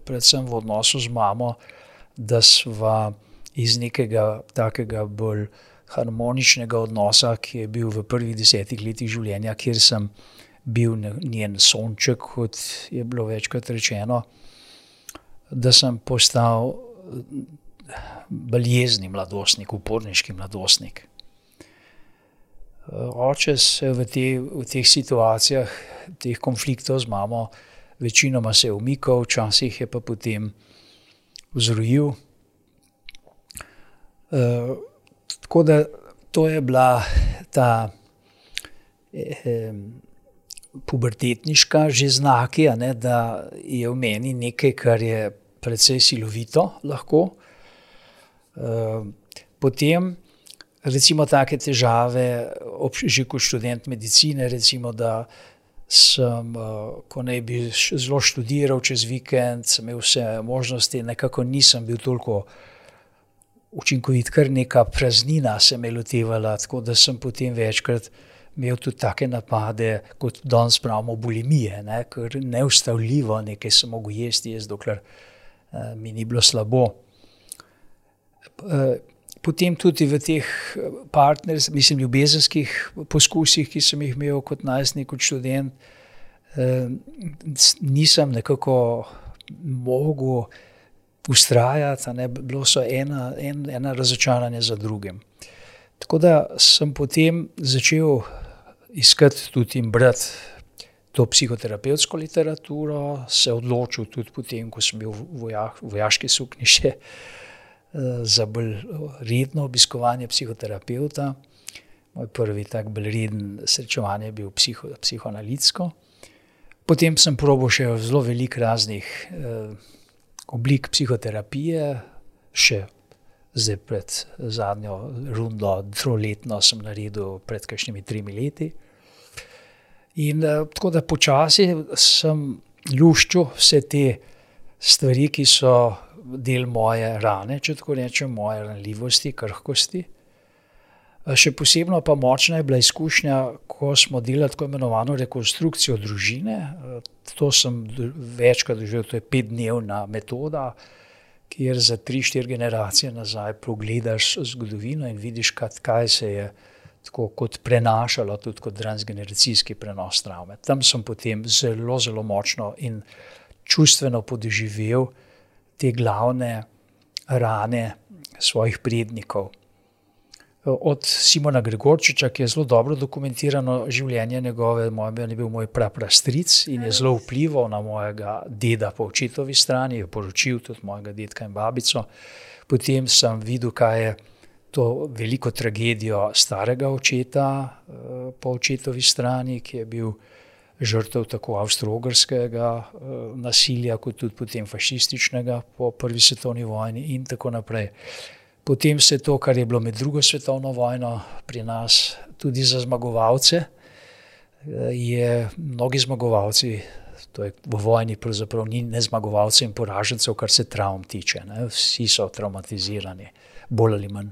predvsem v odnosu z mamo, da sva iz nekega takega bolj harmoničnega odnosa, ki je bil v prvih 10 letih življenja, kjer sem bil njen sonček, kot je bilo večkrat rečeno, da sem postal bolj jezni mladostnik, uporniški mladostnik. Oče se v teh situacijah, teh konfliktov z mamo, večinoma se je umikal, včasih je pa potem vzrojil. Tako da to je bila ta pubertetniška že znaki, da je v meni nekaj, kar je precej silovito lahko. Potem recimo take težave, že kot študent medicine, recimo, da sem, ko naj bi zelo študiral čez vikend, sem imel vse možnosti, nekako nisem bil toliko učinkovit, kar neka praznina se me lotevala, tako da sem potem večkrat imel tudi take napade, kot danes pravimo bulimije, ker neustavljivo nekaj sem mogel jesti, dokler mi ni bilo slabo. Potem tudi v teh ljubezenskih poskusih, ki sem jih imel kot najstnik, kot študent, nisem nekako mogel vztrajati, bilo so ena razočaranja za drugim. Tako da sem potem začel iskati tudi in brati to psihoterapevtsko literaturo, se odločil tudi potem, ko sem bil v vojaški suknji še, za bolj redno obiskovanje psihoterapevta. Moj prvi tak bolj reden srečevanje je bil psihoanalitsko. Potem sem probal še zelo veliko raznih oblik psihoterapije, še zdaj pred zadnjo rundo, 3-letno sem naredil pred kakšnimi 3 leti. In tako da počasi sem luščil vse te stvari, ki so del moje rane, če tako rečem, moje ranljivosti, krhkosti. Še posebno pa močna je bila izkušnja, ko smo delali tako imenovano rekonstrukcijo družine. To sem večkrat doživel, to je 5-dnevna metoda, kjer za 3-4 generacije nazaj pogledaš zgodovino in vidiš, kaj se je tako kot prenašalo, tudi kot transgeneracijski prenos travme. Tam sem potem zelo, zelo močno in čustveno podoživel te glavne rane svojih prednikov. Od Simona Gregorčiča, ki je zelo dobro dokumentirano življenje njegove, je bil moj praprastric in je zelo vplival na mojega deda po očetovi strani, je poročil tudi mojega dedka in babico. Potem sem videl, kaj je to veliko tragedijo starega očeta po očetovi strani, ki je bil žrtev tako avstro-ogrskega nasilja, kot tudi potem fašističnega po prvi svetovni vojni in tako naprej. Potem se to, kar je bilo med drugo svetovno vojno pri nas, tudi za zmagovalce, je mnogi zmagovalci, to je v vojni pravzaprav ni ne zmagovalcev in poražencev, kar se travm tiče, ne? Vsi so travmatizirani, bolj ali manj.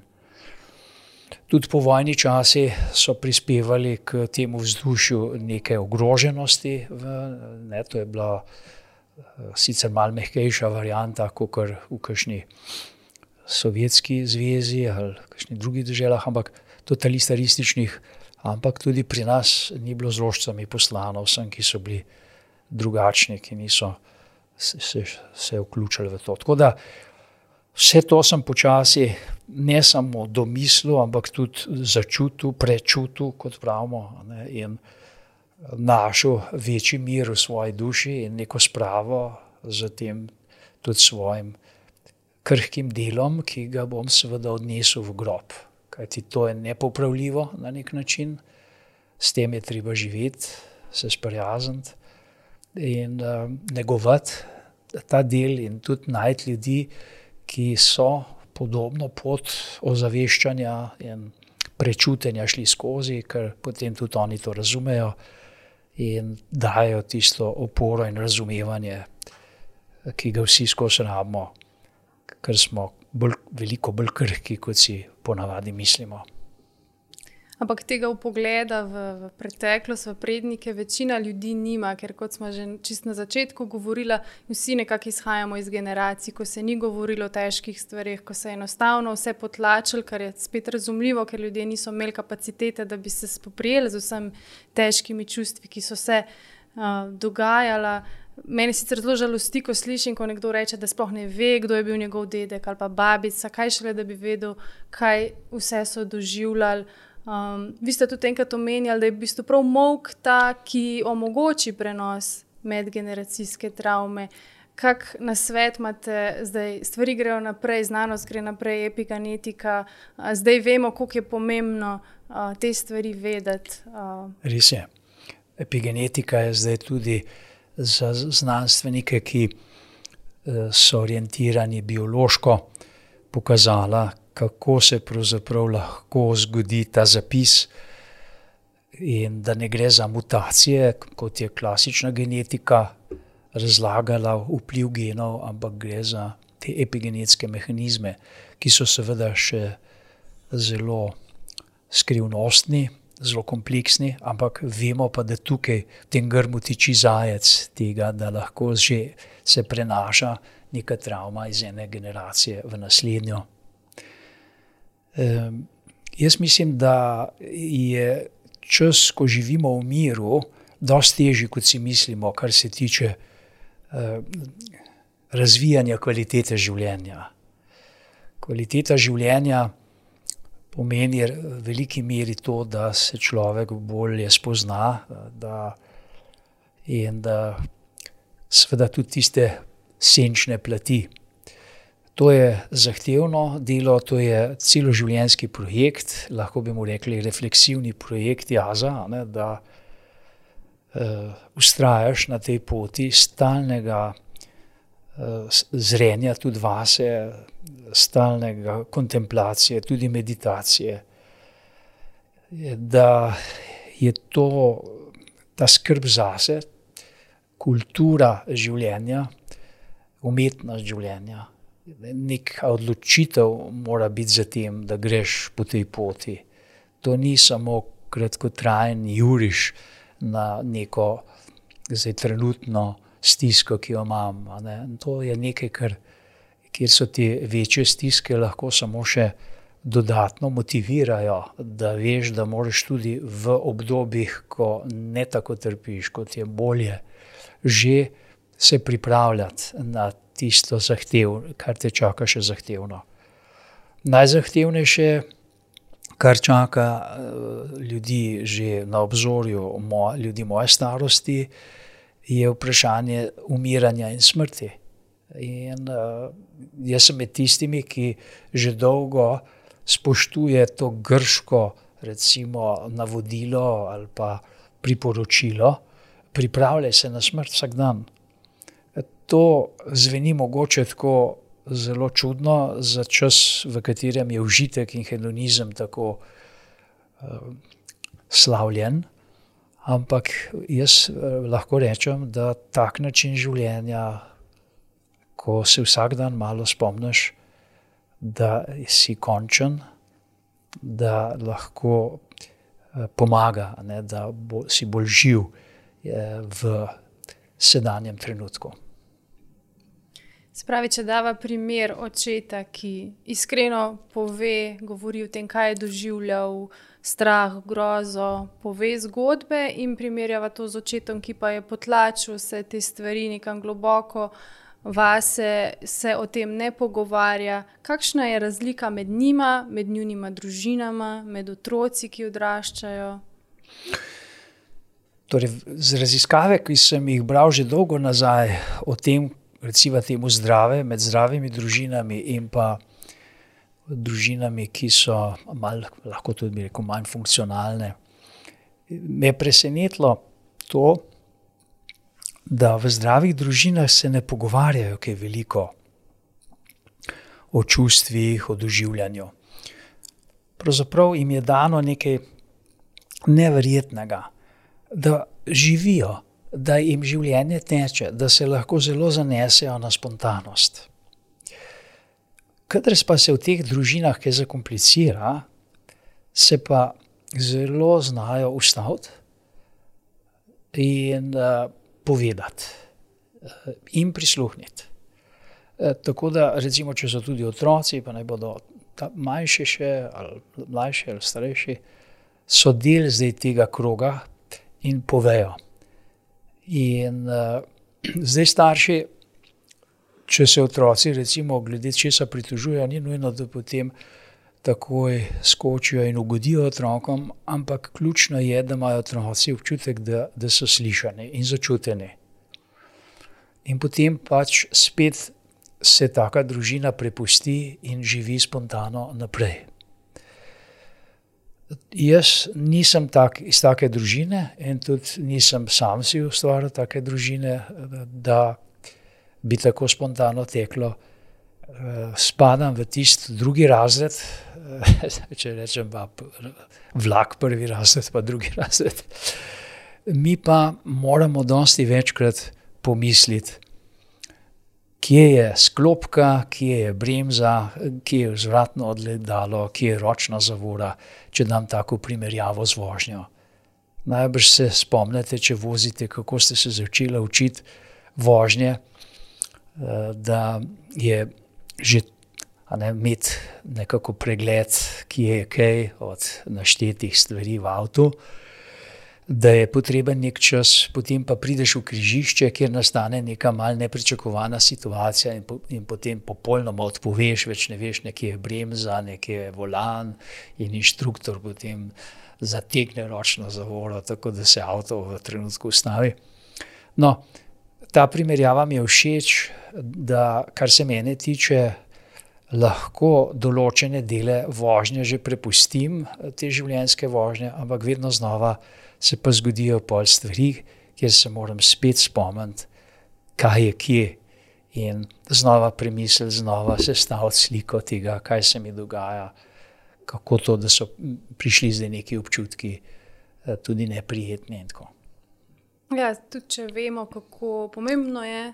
Tudi po vojni časi so prispevali k temu vzdušju neke ogroženosti, ne? To je bila sicer malo mehkejša varianta, kakor v kakšni Sovjetski zvezi ali kakšnih drugih deželah, ampak totalitarističnih, ampak tudi pri nas ni bilo z rožicami poslano vsem, ki so bili drugačni, ki niso se vključili v to. Tako da vse to sem počasi ne samo domislil, ampak tudi začutil, prečutil, kot pravimo, ne, in našel večji mir v svoji duši in neko spravo z tem tudi svojim krhkim delom, ki ga bom seveda odnesel v grob. Kajti to je nepopravljivo na nek način, s tem je treba živeti, se sprijazniti in negovati ta del in tudi najti ljudi, ki so podobno pot ozaveščanja in prečutenja šli skozi, ker potem tudi oni to razumejo in dajo tisto oporo in razumevanje, ki ga vsi skozi rabimo, ker smo veliko bolj krhki, kot si ponavadi mislimo. Ampak tega vpogleda v preteklost, v prednike večina ljudi nima, ker kot smo že čisto na začetku govorila, vsi nekako izhajamo iz generacij, ko se ni govorilo o težkih stvareh, ko se je enostavno vse potlačilo, kar je spet razumljivo, ker ljudje niso imeli kapacitete, da bi se spoprijeli z vsemi težkimi čustvi, ki so se dogajala. Mene sicer zelo žalosti, ko slišim, ko nekdo reče, da sploh ne ve, kdo je bil njegov dedek ali pa babica, kaj šele, da bi vedel, kaj vse so doživljali. Vi ste tudi enkrat omenjali, da je v bistvu prav molk ta, ki omogoči prenos medgeneracijske travme. Kak nasvet imate zdaj? Stvari grejo naprej, znanost gre naprej, epigenetika. Zdaj vemo, koliko je pomembno te stvari vedeti. Res je. Epigenetika je zdaj tudi za znanstvenike, ki so orientirani biološko, pokazala, kako se pravzaprav lahko zgodi ta zapis in da ne gre za mutacije, kot je klasična genetika razlagala vpliv genov, ampak gre za te epigenetske mehanizme, ki so seveda še zelo skrivnostni, zelo kompleksni, ampak vemo pa, da tukaj v tem grmu tiči zajec tega, da lahko že se prenaša neka travma iz ene generacije v naslednjo. Jaz mislim, da je čas, ko živimo v miru, dosti težji, kot si mislimo, kar se tiče razvijanja kvalitete življenja. Kvaliteta življenja pomeni v veliki meri to, da se človek bolje spozna in da seveda tudi tiste senčne plati. To je zahtevno delo, to je celoživljenjski projekt, lahko bi mu rekli refleksivni projekt jaza, ne, da vztrajaš na tej poti stalnega zrenja tudi vase, stalnega kontemplacije, tudi meditacije. Da je to ta skrb zase, kultura življenja, umetnost življenja. Neka odločitev mora biti za tem, da greš po tej poti. To ni samo kratkotrajen juriš na neko zdaj trenutno stisko, ki jo imam. Ne. To je nekaj, kjer so te večje stiske lahko samo še dodatno motivirajo, da veš, da moraš tudi v obdobjih, ko ne tako trpiš, kot je bolje, že se pripravljati na tisto kar te čaka še zahtevno. Najzahtevnejše, kar čaka ljudi že na obzorju, ljudi moje starosti, je vprašanje umiranja in smrti. In jaz sem med tistimi, ki že dolgo spoštuje to grško, recimo, navodilo ali pa priporočilo pripravljaj se na smrt vsak dan. To zveni mogoče tako zelo čudno za čas, v katerem je užitek in hedonizem tako slavljen, ampak jaz lahko rečem, da tak način življenja, ko se vsak dan malo spomniš, da si končen, da lahko pomaga, ne, da si bolj živ v sedanjem trenutku. Spravi, če dava primer očeta, ki iskreno govori o tem, kaj je doživljal, strah, grozo, pove zgodbe in primerjava to z očetom, ki pa je potlačil vse te stvari nekam globoko vase, se o tem ne pogovarja. Kakšna je razlika med njima, med njunima družinama, med otroci, ki odraščajo? Torej, z raziskave, ki sem jih bral že dolgo nazaj o tem, recimo temu zdrave, med zdravimi družinami in pa družinami, ki so malo, lahko tudi bi rekel, manj funkcionalne, me je presenetilo to, da v zdravih družinah se ne pogovarjajo kaj veliko o čustvih, o doživljanju. Pravzaprav jim je dano nekaj neverjetnega, da živijo, da jim življenje teče, da se lahko zelo zanesejo na spontanost. Kadar pa se v teh družinah kaj zakomplicira, se pa zelo znajo ustaviti in povedati in prisluhniti. Tako da, recimo, če so tudi otroci, pa naj bodo manjši še, ali mlajši ali starejši, so del zdaj tega kroga in povejo. In zdaj starši, če se otroci recimo glede česa pritožujejo, ni nujno, da potem takoj skočijo in ugodijo otrokom, ampak ključno je, da imajo otroci občutek, da so slišani in začuteni. In potem pač spet se taka družina prepusti in živi spontano naprej. Jaz nisem iz take družine in tudi nisem sam si ustvaril take družine, da bi tako spontano teklo. Spadam v tisti drugi razred, če rečem pa vlak prvi razred, pa drugi razred. Mi pa moramo dosti večkrat pomisliti, kje je sklopka, kje je bremza, kje je vzvratno odledalo, kje je ročna zavora, če dam tako primerjavo z vožnjo. Najbrž se spomnite, če vozite, kako ste se začeli učiti vožnje, da je že imeti nekako pregled, kje je kaj od naštetih stvari v avtu, da je potreben nek čas, potem pa prideš v križišče, kjer nastane neka mal nepričakovana situacija in potem popolnoma odpoveš, več ne veš, nekje je bremza, nekje je volan in inštruktor potem zategne ročno zavoro, tako da se avto v trenutku ustavi. No, ta primerjava mi je všeč, da kar se mene tiče, lahko določene dele vožnje že prepustim, te življenjske vožnje, ampak vedno znova se pa zgodijo pol stvari, kjer se moram spet spomniti, kaj je kje in znova premisliti, znova sestaviti sliko tega, kaj se mi dogaja, kako to, da so prišli zdaj neki občutki tudi neprijetni in tako. Ja, tudi če vemo, kako pomembno je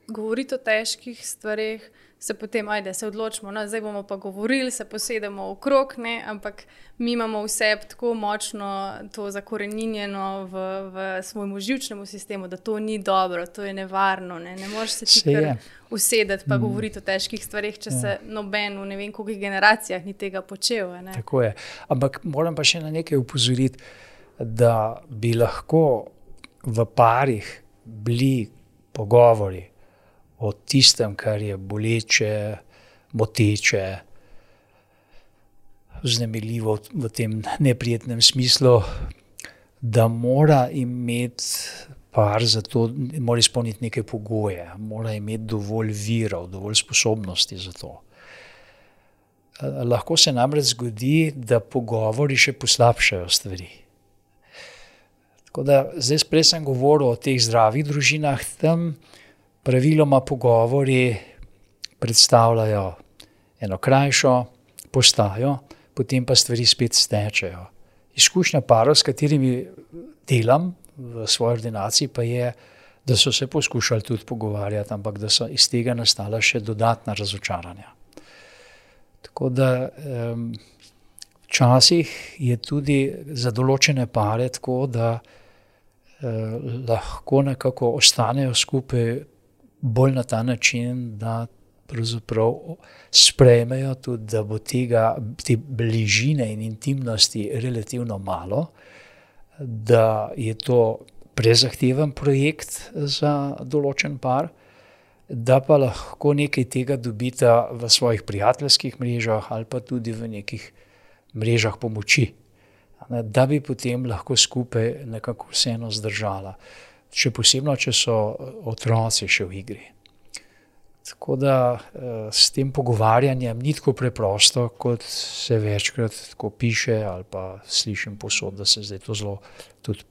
govoriti o težkih stvareh, se potem, se odločimo, no, zdaj bomo pa govorili, se posedemo okrog, ne, ampak mi imamo vse tako močno to zakoreninjeno v svojemu živčnemu sistemu, da to ni dobro, to je nevarno, ne moreš se ti kar usedeti pa govoriti o težkih stvareh, če se noben v ne vem koliko generacijah ni tega počel. Ne. Tako je, ampak moram pa še na nekaj opozoriti, da bi lahko v parih bili pogovori o tistem, kar je boleče, moteče, vznemirljivo v tem neprijetnem smislu, da mora imeti par za to, mora izpolniti neke pogoje, mora imeti dovolj virov, dovolj sposobnosti za to. Lahko se namreč zgodi, da pogovori še poslabšajo stvari. Tako da zdaj prej sem govoril o teh zdravih družinah, tam praviloma pogovori predstavljajo eno krajšo postajo, potem pa stvari spet stečejo. Izkušnja parov, s katerimi delam v svoji ordinaciji, pa je, da so se poskušali tudi pogovarjati, ampak da so iz tega nastala še dodatna razočaranja. Tako da včasih je tudi za določene pare tako, da lahko nekako ostanejo skupaj bolj na ta način, da pravzaprav sprejmejo tudi, da bo te bližine in intimnosti relativno malo, da je to prezahteven projekt za določen par, da pa lahko nekaj tega dobita v svojih prijateljskih mrežah ali pa tudi v nekih mrežah pomoči, da bi potem lahko skupaj nekako vseeno zdržala. Še posebno, če so otroci še v igri. Tako da s tem pogovarjanjem ni tako preprosto, kot se večkrat tako piše ali pa slišim povsod, da se zdaj to zelo tudi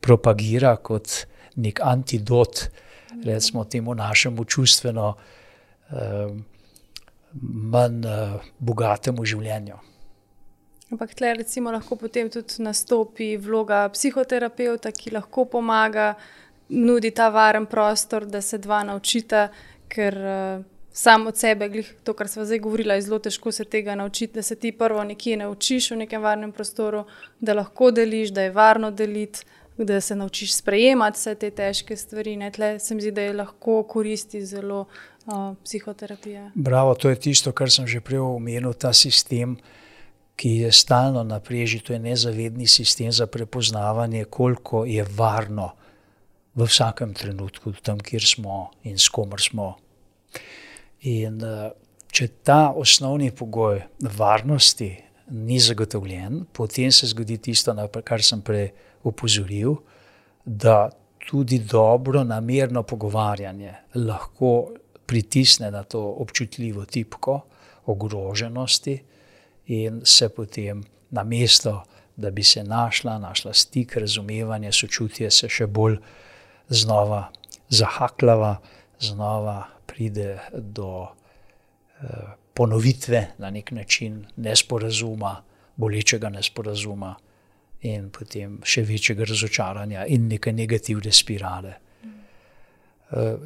propagira kot nek antidot, recimo temu našemu čustveno manj bogatemu življenju. Ampak tle recimo lahko potem tudi nastopi vloga psihoterapevta, ki lahko pomaga, nudi ta varen prostor, da se dva naučita, ker sam od sebe, to, kar sva zdaj govorila, je zelo težko se tega naučiti, da se ti prvo nekje naučiš v nekem varnem prostoru, da lahko deliš, da je varno deliti, da se naučiš sprejemati vse te težke stvari. Tle se mi zdi, da je lahko koristi zelo psihoterapija. Bravo, to je tisto, kar sem že prej omenil, ta sistem, ki je stalno na preži, to je nezavedni sistem za prepoznavanje, koliko je varno v vsakem trenutku, tam, kjer smo in s komer smo. In če ta osnovni pogoj varnosti ni zagotovljen, potem se zgodi tisto, na kar sem prej opozoril, da tudi dobro namerno pogovarjanje lahko pritisne na to občutljivo tipko ogroženosti in se potem namesto, da bi se našla stik, razumevanje, sočutje, se še bolj znova zahakljava, znova pride do ponovitve na nek način nesporazuma, bolečega nesporazuma in potem še večjega razočaranja in neke negativne spirale.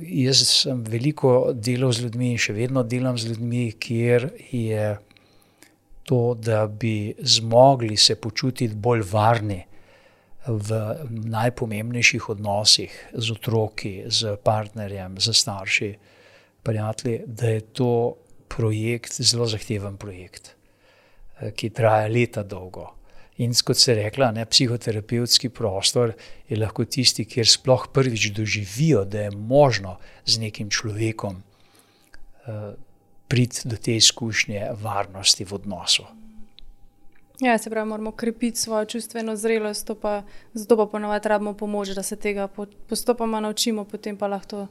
Jaz sem veliko delal z ljudmi in še vedno delam z ljudmi, kjer je to, da bi zmogli se počutiti bolj varni v najpomembnejših odnosih z otroki, z partnerjem, z starši, prijatelji, da je to projekt, zelo zahteven projekt, ki traja leta dolgo. In kot ste rekla, psihoterapevtski prostor je lahko tisti, kjer sploh prvič doživijo, da je možno z nekim človekom priti do te izkušnje varnosti v odnosu. Ja, se pravi, moramo krepiti svojo čustveno zrelost, zato pa ponovadi rabimo pomoč, da se tega postopoma naučimo, potem pa lahko to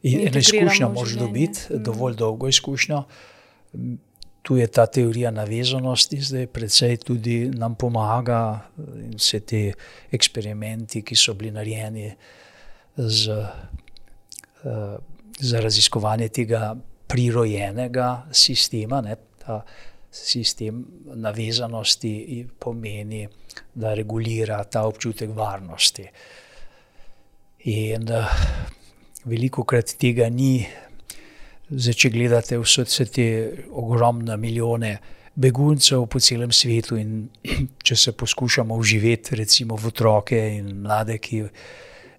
in eno izkušnjo moraš dobiti, dovolj dolgo izkušnjo. Tu je ta teorija navezanosti, zdaj precej tudi nam pomaga in vse te eksperimenti, ki so bili narejeni za raziskovanje tega prirojenega sistema, ta sistem navezanosti pomeni, da regulira ta občutek varnosti. In velikokrat tega ni. Zdaj, če gledate vse te ogromne milijone beguncev po celem svetu in če se poskušamo vživeti recimo v otroke in mlade, ki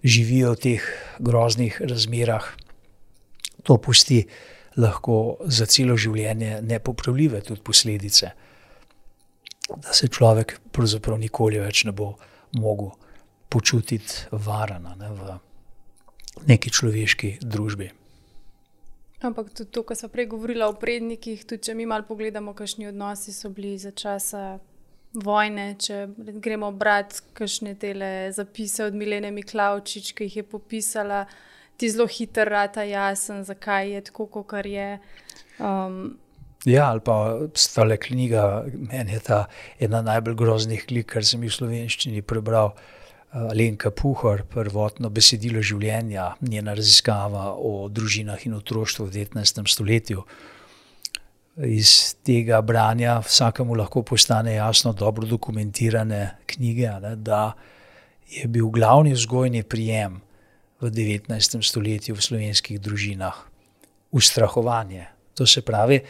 živijo v teh groznih razmerah, to pusti lahko za celo življenje nepopravljive tudi posledice, da se človek pravzaprav nikoli več ne bo mogel počutiti varana v neki človeški družbi. Ampak tudi to, ko smo prej govorila o prednikih, tudi če mi malo pogledamo, kakšni odnosi so bili za časa vojne, če gremo brati kakšne tele zapise od Milene Miklavčič, ki jih je popisala, ti zelo hitro rata jasen, zakaj je tako, kakor je. Ja, ali pa stale knjiga, meni je ta ena najbolj groznih knjig, kar sem jih v slovenščini prebral, Alenka Puhar, Prvotno besedilo življenja, njena raziskava o družinah in otroštvu v 19. stoletju. Iz tega branja vsakemu lahko postane jasno, dobro dokumentirane knjige, ne, da je bil glavni vzgojni prijem v 19. stoletju v slovenskih družinah ustrahovanje. To se pravi,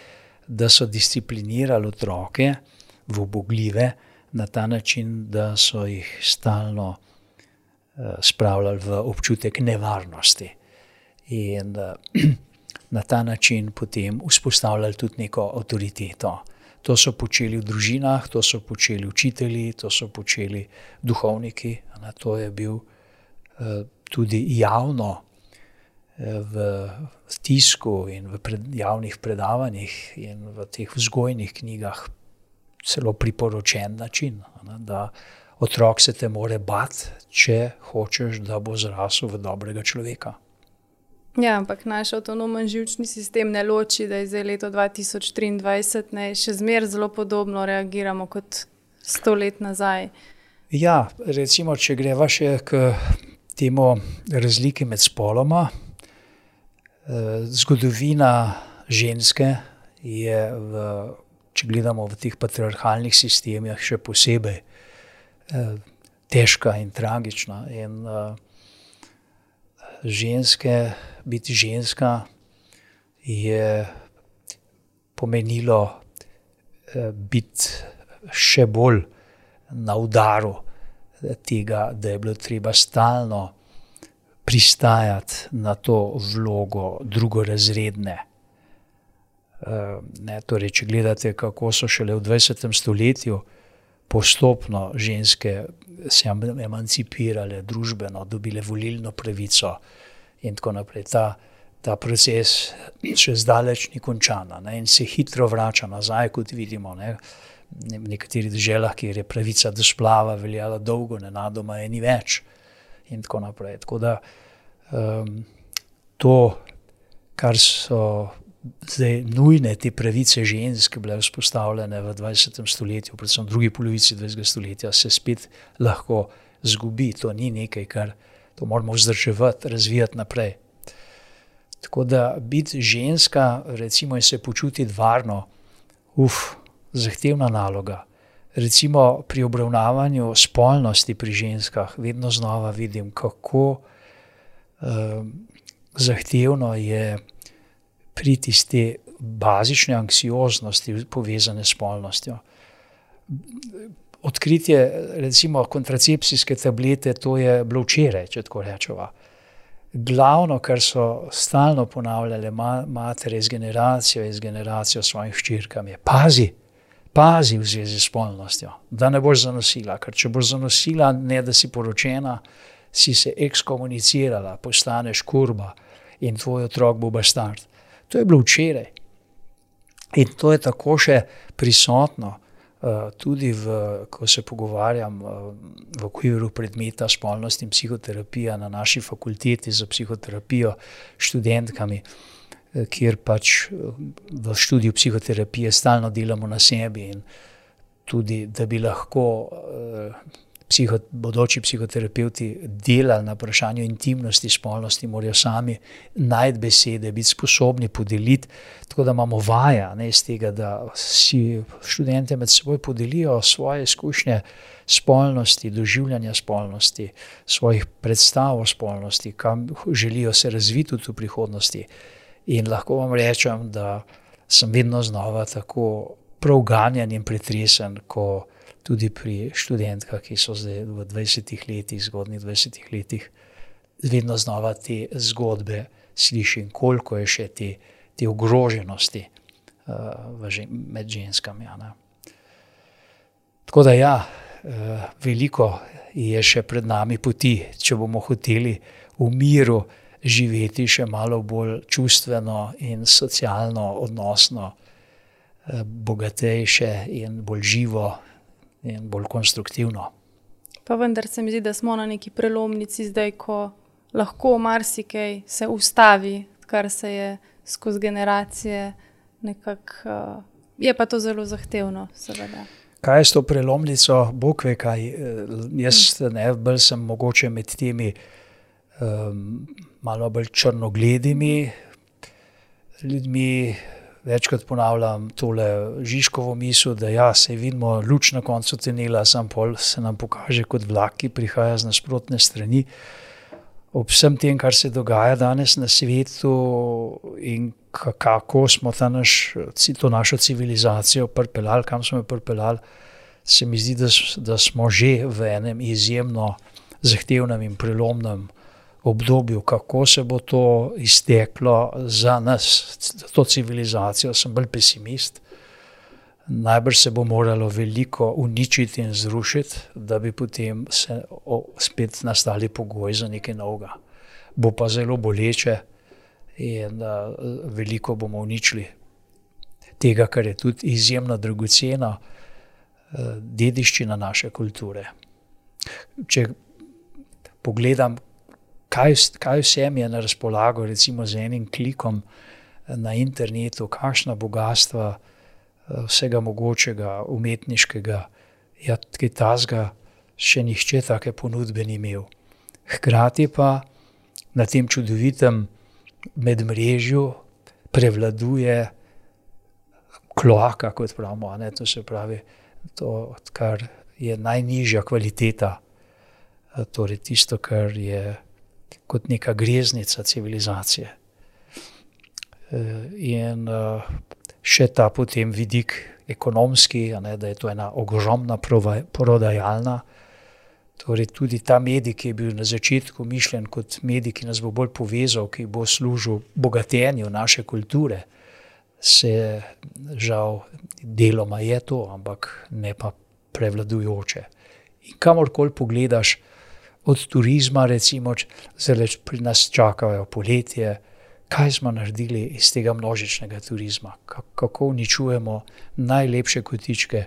da so disciplinirali otroke v ubogljive na ta način, da so jih stalno spravljali v občutek nevarnosti. In na ta način potem vzpostavljali tudi neko avtoriteto. To so počeli v družinah, to so počeli učitelji, to so počeli duhovniki. To je bil tudi javno v tisku in v javnih predavanjih in v teh vzgojnih knjigah celo priporočen način, da otrok se te more bati, če hočeš, da bo zrasel v dobrega človeka. Ja, ampak naš avtonomen živčni sistem ne loči, da je zdaj leto 2023, ne, še zmeraj zelo podobno reagiramo kot 100 let nazaj. Ja, recimo, če greva še k temu razliki med spoloma. Zgodovina ženske je, če gledamo v teh patriarhalnih sistemih, še posebej težka in tragična. In biti ženska je pomenilo biti še bolj na udaru tega, da je bilo treba stalno pristajati na to vlogo drugorazredne. Torej, če gledate, kako so šele v 20. stoletju postopno ženske se emancipirale družbeno, dobile volilno pravico in tako naprej. Ta proces še zdaleč ni končan, in se hitro vrača nazaj, kot vidimo. V nekaterih deželah, kjer je pravica do splava veljala dolgo, nenadoma je ni več in tako naprej. Tako da to, kar so zdaj nujne, te pravice žensk bile vzpostavljene v 20. stoletju, predvsem v drugi polovici 20. stoletja, se spet lahko zgubi. To ni nekaj, kar to moramo vzdrževati, razvijati naprej. Tako da biti ženska, recimo, in se počutiti varno, zahtevna naloga. Recimo pri obravnavanju spolnosti pri ženskah vedno znova vidim, kako zahtevno je priti iz te bazične anksioznosti povezane s spolnostjo. Odkritje, recimo, kontracepcijske tablete, to je bilo včeraj, če tako rečeva. Glavno, kar so stalno ponavljale matere iz generacijo svojim hčerkam, je pazi v zvezi s spolnostjo, da ne boš zanosila, ker če boš zanosila, ne da si poročena, si se ekskomunicirala, postaneš kurba in tvoj otrok bo bastard. To je bilo včeraj. In to je tako še prisotno tudi ko se pogovarjam v okviru predmeta spolnost in psihoterapija na naši fakulteti za psihoterapijo študentkami, kjer pač v študiju psihoterapije stalno delamo na sebi in tudi, da bi lahko bodoči psihoterapevti delali na vprašanju intimnosti, spolnosti, morajo sami najti besede, biti sposobni podeliti, tako da imamo vaja iz tega, da si študente med seboj podelijo svoje izkušnje spolnosti, doživljanja spolnosti, svojih predstav o spolnosti, kam želijo se razviti v prihodnosti. In lahko vam rečem, da sem vedno znova tako prav ganjan in pretresen, ko tudi pri študentkah, ki so zdaj v 20 letih, zgodnjih 20 letih, vedno znova te zgodbe slišim, koliko je še te ogroženosti med ženskami. Tako da veliko je še pred nami poti, če bomo hoteli v miru živeti še malo bolj čustveno in socialno odnosno, bogatejše in bolj živo in bolj konstruktivno. Pa vendar se mi zdi, da smo na neki prelomnici zdaj, ko lahko marsikaj se ustavi, kar se je skozi generacije nekako je pa to zelo zahtevno, seveda. Kaj je s to prelomnico, Bog ve kaj, jaz bolj sem mogoče med temi malo bolj črnogledimi ljudmi, večkrat ponavljam tole Žižkovo misel, da ja, se vidimo luč na koncu tunela, sam pol se nam pokaže kot vlak, ki prihaja z nasprotne strani. Ob vsem tem, kar se dogaja danes na svetu in kako smo to našo civilizacijo pripeljali, kam smo jo pripeljali, se mi zdi, da smo že v enem izjemno zahtevnem in prelomnem obdobju. Kako se bo to izteklo za nas, za to civilizacijo, sem bolj pesimist. Najbrž se bo moralo veliko uničiti in zrušiti, da bi potem se spet nastali pogoji za nekaj novega. Bo pa zelo boleče in veliko bomo uničili tega, kar je tudi izjemno dragocena dediščina naše kulture. Če pogledam, kaj vsem je na razpolago, recimo z enim klikom na internetu, kakšna bogatstva vsega mogočega, umetniškega, kaj tazga, še nihče take ponudbe ni imel. Hkrati pa na tem čudovitem medmrežju prevladuje kloaka, kot pravimo, to se pravi, to, kar je najnižja kvaliteta, torej tisto, kar je kot neka greznica civilizacije. In še ta potem vidik ekonomski, da je to ena ogromna prodajalna. Torej tudi ta medij, ki je bil na začetku mišljen kot medij, ki nas bo bolj povezal, ki bo služil bogatenju naše kulture, se žal deloma je to, ampak ne pa prevladujoče. In kamorkoli pogledaš, od turizma recimo, zdaj pri nas čakajo poletje, kaj smo naredili iz tega množičnega turizma, kako uničujemo najlepše kotičke,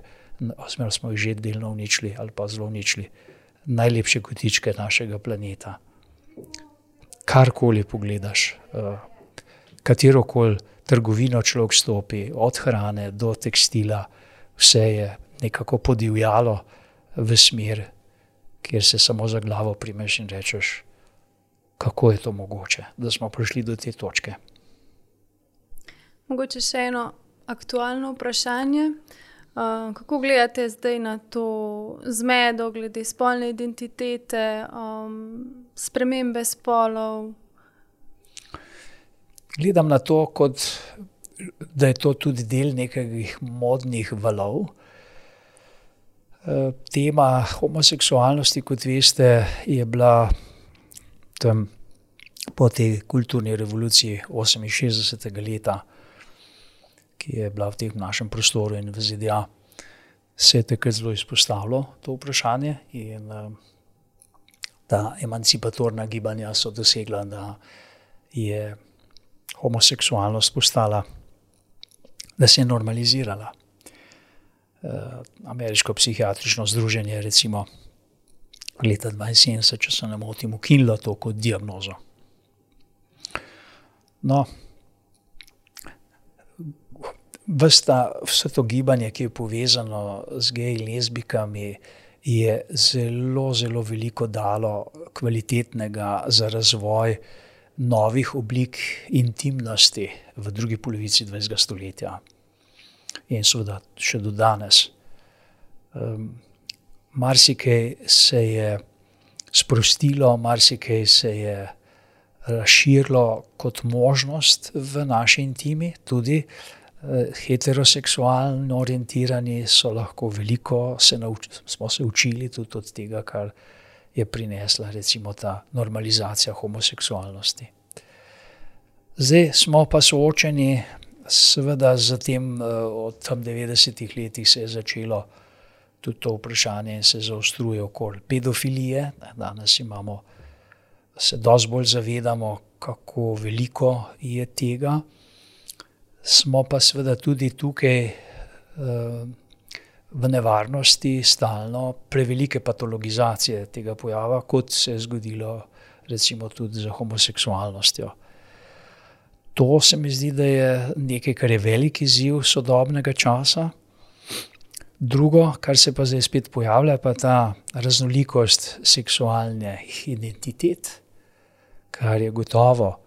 oziroma smo jih že delno uničili ali pa zelo uničili, najlepše kotičke našega planeta. Karkoli pogledaš, katerokoli trgovino človek stopi, od hrane do tekstila, vse je nekako podivjalo v smer, kjer se samo za glavo primeš in rečeš, kako je to mogoče, da smo prišli do te točke. Mogoče še eno aktualno vprašanje. Kako gledate zdaj na to zmedo glede spolne identitete, spremembe spolov? Gledam na to, kot da je to tudi del nekih modnih valov. Tema homoseksualnosti, kot veste, je bila tam po tej kulturni revoluciji 68. leta, ki je bila v tem našem prostoru in v ZDA, se je takrat zelo izpostavilo to vprašanje in ta emancipatorna gibanja so dosegla, da je homoseksualnost postala, da se je normalizirala. Ameriško psihiatrično združenje recimo leta 1972, če se ne motim, ukinilo to kot diagnozo. No, vse to gibanje, ki je povezano z geji in lezbikami, je zelo, zelo veliko dalo kvalitetnega za razvoj novih oblik intimnosti v drugi polovici 20. stoletja. In seveda še do danes. Marsikaj se je sprostilo, marsikaj se je razširilo kot možnost v naši intimi, tudi heteroseksualno orientirani so lahko veliko, smo se učili tudi od tega, kar je prinesla recimo ta normalizacija homoseksualnosti. Zdaj smo pa soočeni seveda z tem, od tam 90. letih se je začelo tudi to vprašanje in se zaostruje okoli pedofilije. Danes se dosti bolj zavedamo, kako veliko je tega. Smo pa seveda tudi tukaj v nevarnosti stalno prevelike patologizacije tega pojava, kot se je zgodilo recimo tudi z homoseksualnostjo. To se mi zdi, da je nekaj, kar je velik izziv sodobnega časa. Drugo, kar se pa zdaj spet pojavlja, pa ta raznolikost seksualnih identitet, kar je gotovo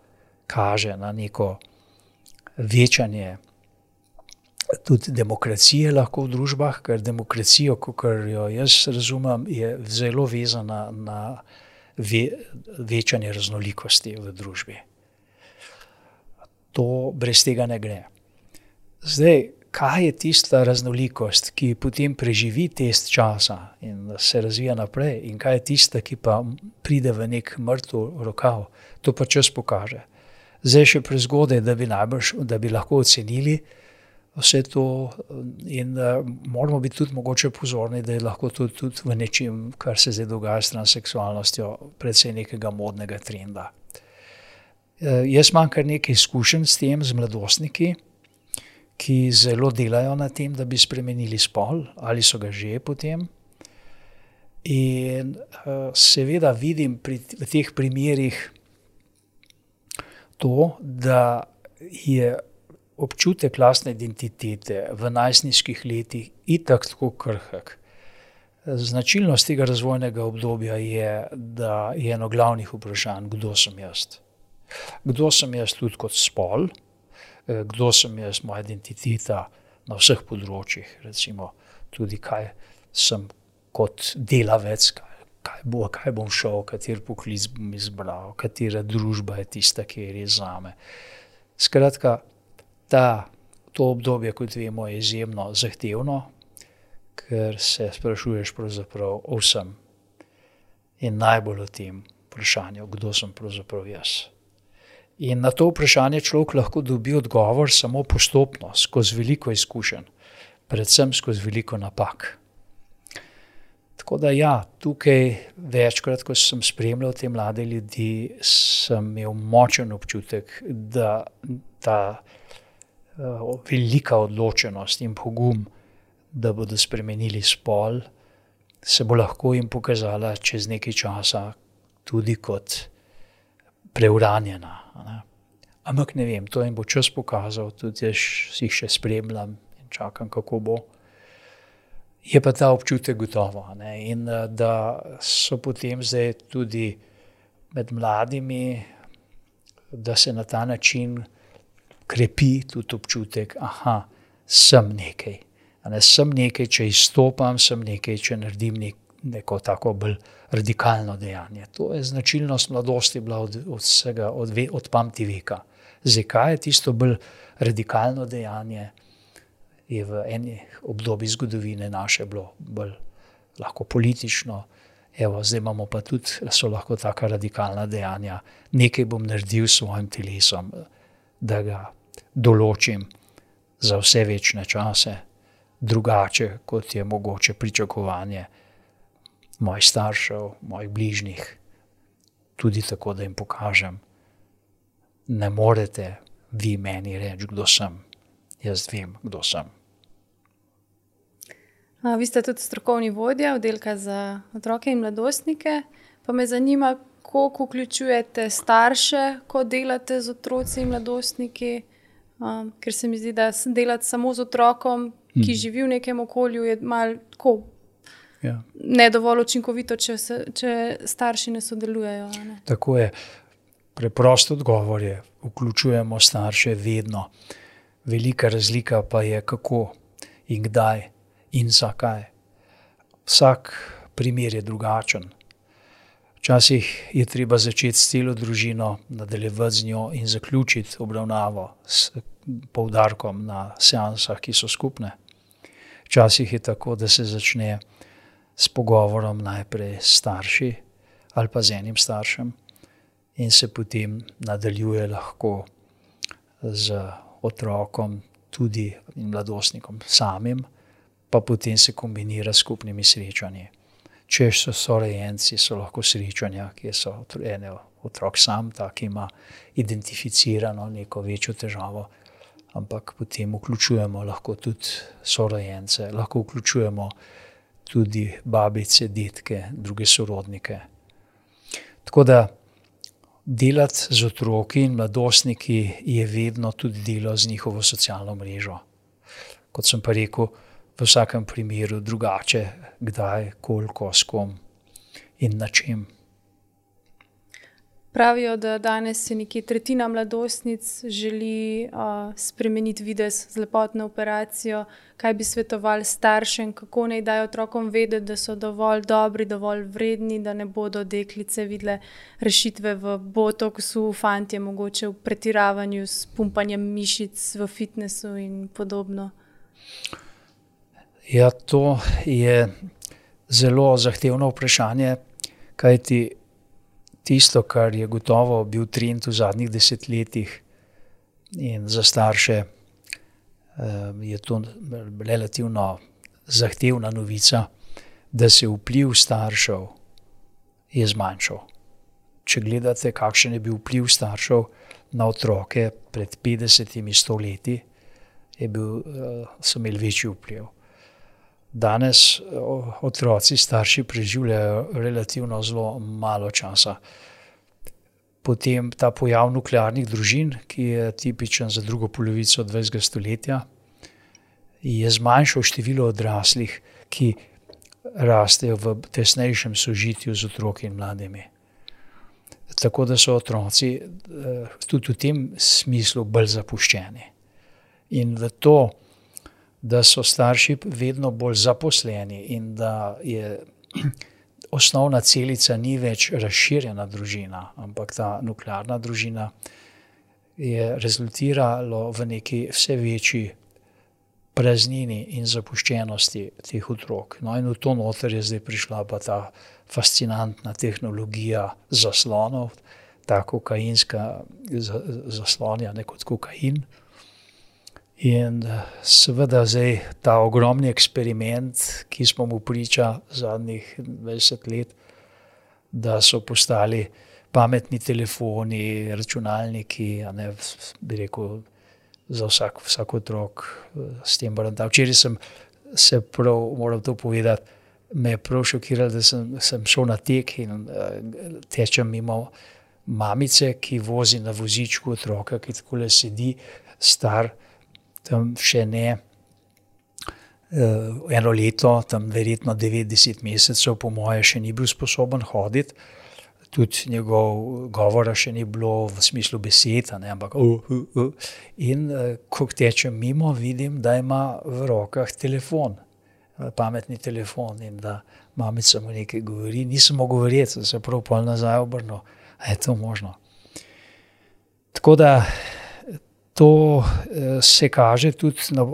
kaže na neko večanje tudi demokracije lahko v družbah, ker demokracijo, kakor jo jaz razumem, je zelo vezana na večanje raznolikosti v družbi. To brez tega ne gre. Zdaj, kaj je tista raznolikost, ki potem preživi test časa in se razvija naprej, in kaj je tista, ki pa pride v nek mrtev rokav, to pa čas pokaže. Zdaj še prezgodaj, da bi lahko ocenili vse to, in moramo biti tudi mogoče pozorni, da je lahko tudi v nečem, kar se zdaj dogaja s transseksualnostjo, predvsej nekega modnega trenda. Jaz imam kar nekaj izkušenj s tem, z mladostniki, ki zelo delajo na tem, da bi spremenili spol, ali so ga že potem. In seveda vidim v teh primerih to, da je občutek lastne identitete v najstniških letih itak tako krhek. Značilnost tega razvojnega obdobja je, da je eno glavnih vprašanj, kdo sem jaz. Kdo sem jaz tudi kot spol, kdo sem jaz, moja identiteta na vseh področjih, recimo tudi kaj sem kot delavec, kaj bom šel, kateri poklic bom izbral, katera družba je tista, ki je res zame. Skratka, to obdobje, kot vemo, je izjemno zahtevno, ker se sprašuješ pravzaprav o vsem in najbolj o tem vprašanju, kdo sem pravzaprav jaz. In na to vprašanje človek lahko dobi odgovor samo postopno, skozi veliko izkušenj, predvsem skozi veliko napak. Tako da ja, tukaj večkrat, ko sem spremljal te mlade ljudi, sem imel močen občutek, da ta velika odločenost in pogum, da bodo spremenili spol, se bo lahko jim pokazala čez nekaj časa tudi kot preuranjena. Ne? Ampak ne vem, to jim bo čas pokazal, tudi jaz si jih še spremljam in čakam, kako bo. Je pa ta občutek gotovo. Ne? In da so potem zdaj tudi med mladimi, da se na ta način krepi tudi občutek, sem nekaj. Sem nekaj, če izstopam, sem nekaj, če naredim neko tako bolj radikalno dejanje. To je značilnost mladosti bila od pameti veka. Zakaj je tisto bolj radikalno dejanje, je v eni obdobju zgodovine naše bilo bolj lahko politično. Evo, zdaj imamo pa tudi, so lahko taka radikalna dejanja. Nekaj bom naredil s svojim telesom, da ga določim za vse večne čase, drugače, kot je mogoče pričakovanje mojih staršev, mojih bližnjih, tudi tako, da jim pokažem, ne morete vi meni reči, kdo sem. Jaz vem, kdo sem. Vi ste tudi strokovni vodja oddelka za otroke in mladostnike, pa me zanima, koliko vključujete starše, ko delate z otroci in mladostniki, ker se mi zdi, da delati samo z otrokom, ki živi v nekem okolju, je malo tako ne dovolj učinkovito, če starši ne sodelujejo. Ne? Tako je. Preprost odgovor je, vključujemo starše vedno. Velika razlika pa je, kako in kdaj in zakaj. Vsak primer je drugačen. Včasih je treba začeti s celo družino, nadaljevati z njo in zaključiti obravnavo s poudarkom na seansah, ki so skupne. Včasih je tako, da se začne s pogovorom najprej s starši ali pa z enim staršem in se potem nadaljuje lahko z otrokom tudi in mladostnikom samim, pa potem se kombinira s skupnimi srečanji. Če so sorojenci, so lahko srečanja, kjer so otrok sam, ki ima identificirano neko večjo težavo, ampak potem vključujemo lahko tudi sorojence, lahko vključujemo tudi babice, detke, druge sorodnike. Tako da delati z otroki in mladostniki je vedno tudi delo z njihovo socialno mrežo. Kot sem pa rekel, v vsakem primeru drugače, kdaj, koliko, s kom in na čem. Pravijo, da danes se nekje tretjina mladostnic želi spremeniti videz z lepotno operacijo. Kaj bi svetovali staršem, kako naj dajo otrokom vedeti, da so dovolj dobri, dovolj vredni, da ne bodo deklice videle rešitve v botoksu, fantje mogoče v pretiravanju s pumpanjem mišic v fitnessu in podobno? Ja, to je zelo zahtevno vprašanje, kajti tisto, kar je gotovo bil trend v zadnjih desetletjih in za starše je to relativno zahtevna novica, da se vpliv staršev je zmanjšal. Če gledate, kakšen je bil vpliv staršev na otroke pred 50-100 leti, so imeli večji vpliv. Danes otroci starši preživljajo relativno zelo malo časa. Potem ta pojav nuklearnih družin, ki je tipičen za drugo polovico 20. stoletja, je zmanjšal število odraslih, ki rastejo v tesnejšem sožitju z otroki in mladimi. Tako da so otroci tudi v tem smislu bolj zapuščeni. In v to, da so starši vedno bolj zaposleni in da je osnovna celica ni več razširjena družina, ampak ta nuklearna družina, je rezultiralo v neki vse večji praznini in zapuščenosti teh otrok. No, in v to noter je zdaj prišla pa ta fascinantna tehnologija zaslonov, ta kokainska zaslonja, ne kot kokain. In seveda zdaj ta ogromni eksperiment, ki smo mu priča zadnjih 20 let, da so postali pametni telefoni, računalniki, bi rekel, za vsak otrok s tem baranta. Včeraj sem se prav, moram to povedati, me je prav šokiralo, da sem šel na tek in tečem mimo mamice, ki vozi na vozičku otroka, ki takole sedi, star, tam še ne eno leto, tam verjetno 90 mesecev, po moje še ni bil sposoben hoditi, tudi njegov govora še ni bilo v smislu besed, ampak in ko tečem mimo, vidim, da ima v rokah telefon, pametni telefon in da mamica mu nekaj govori, nisem mogel verjeti, da se prav pol nazaj obrnil, a je to možno. Tako da to se kaže tudi na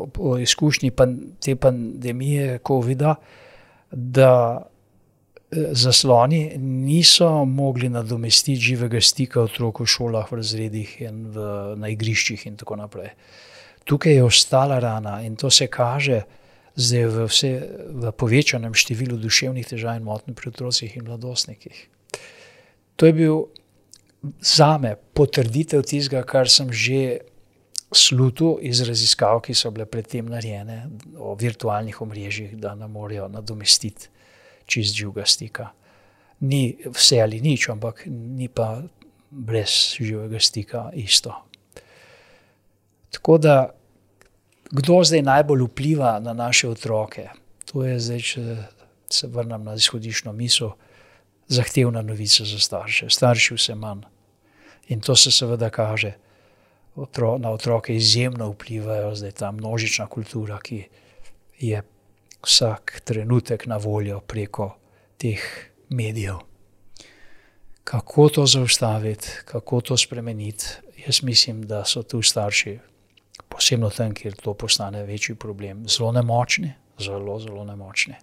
izkušnji te pandemije covida, da zasloni niso mogli nadomestiti živega stika otrok v šolah, v razredih in na igriščih in tako naprej. Tukaj je ostala rana in to se kaže zdaj v povečanem številu duševnih težav in motenj pri otrocih in mladostnikih. To je bil zame potrditev tistega, kar sem že slutil iz raziskav, ki so bile predtem narejene o virtualnih omrežjih, da ne morejo nadomestiti čist živega stika. Ni vse ali nič, ampak ni pa brez živega stika isto. Tako da, kdo zdaj najbolj vpliva na naše otroke? To je zdaj, če se vrnem na izhodiščno misel, zahtevna novica za starše. Starši vse manj. In to se seveda kaže. Na otroke izjemno vplivajo zdaj ta množična kultura, ki je vsak trenutek na voljo preko teh medijev. Kako to zaustaviti, kako to spremeniti? Jaz mislim, da so tu starši, posebno tam, kjer to postane večji problem, zelo nemočni, zelo nemočni.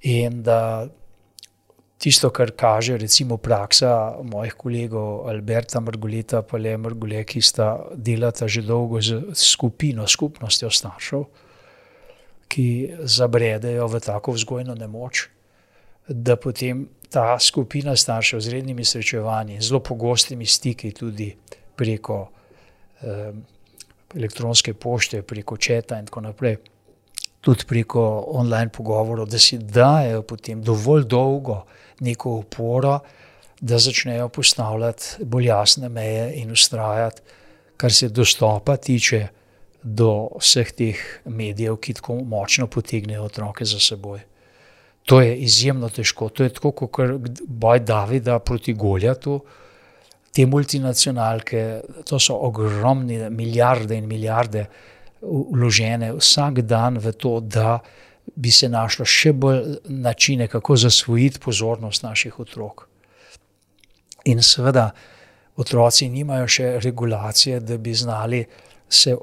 In da tisto, kar kaže recimo praksa mojih kolegov Alberta Margoleta pa Lea Margole, ki delata že dolgo z skupnostjo staršev, ki zabredejo v tako vzgojno nemoč, da potem ta skupina staršev z rednimi srečevanji, zelo pogostimi stiki tudi preko elektronske pošte, preko četa in tako naprej, tudi preko online pogovorov, da si dajo potem dovolj dolgo neko oporo, da začnejo postavljati bolj jasne meje in vztrajati, kar se dostopa tiče do vseh teh medijev, ki tako močno potegnejo otroke za seboj. To je izjemno težko. To je tako, kot boj Davida proti Goljatu. Te multinacionalke, to so ogromne milijarde in milijarde vložene vsak dan v to, da bi se našlo še bolj načine, kako zasvojiti pozornost naših otrok. In seveda otroci nimajo še regulacije, da bi znali se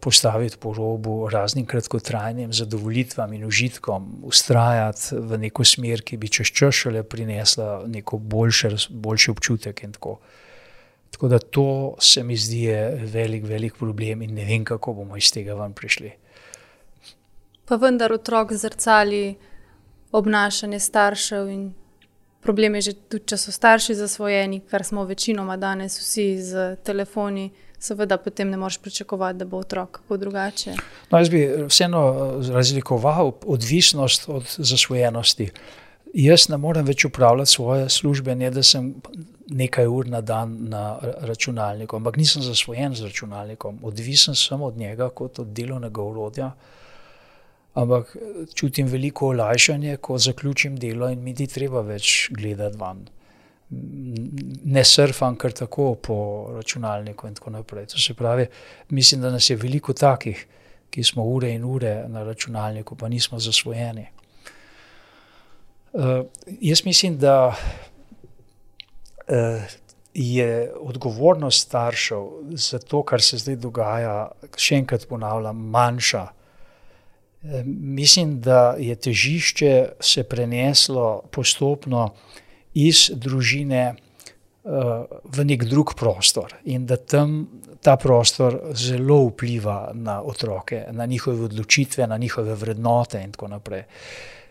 postaviti po robu raznim kratkotrajnim zadovolitvam in užitkom, vztrajati v neko smer, ki bi čez čas šele prinesla neko boljši občutek in tako. Tako da to se mi zdi velik problem in ne vem, kako bomo iz tega ven prišli. Pa vendar otrok zrcali obnašanje staršev in problem je že tudi, če so starši zasvojeni, kar smo večinoma danes vsi z telefoni, seveda potem ne moreš pričakovati, da bo otrok kako drugače. No, jaz bi vseeno razlikoval odvisnost od zasvojenosti. Jaz ne morem več upravljati svoje službe, ne da sem nekaj ur na dan na računalniku, ampak nisem zasvojen z računalnikom. Odvisen sem od njega kot od delovnega orodja, ampak čutim veliko olajšanje, ko zaključim delo in mi ni treba več gledati van. Ne surfam kar tako po računalniku in tako naprej. To se pravi, mislim, da nas je veliko takih, ki smo ure in ure na računalniku, pa nismo zasvojeni. Jaz mislim, da je odgovornost staršev za to, kar se zdaj dogaja, še enkrat ponavljam, manjša. Mislim, da je težišče se preneslo postopno iz družine v nek drug prostor in da tam ta prostor zelo vpliva na otroke, na njihove odločitve, na njihove vrednote in tako naprej.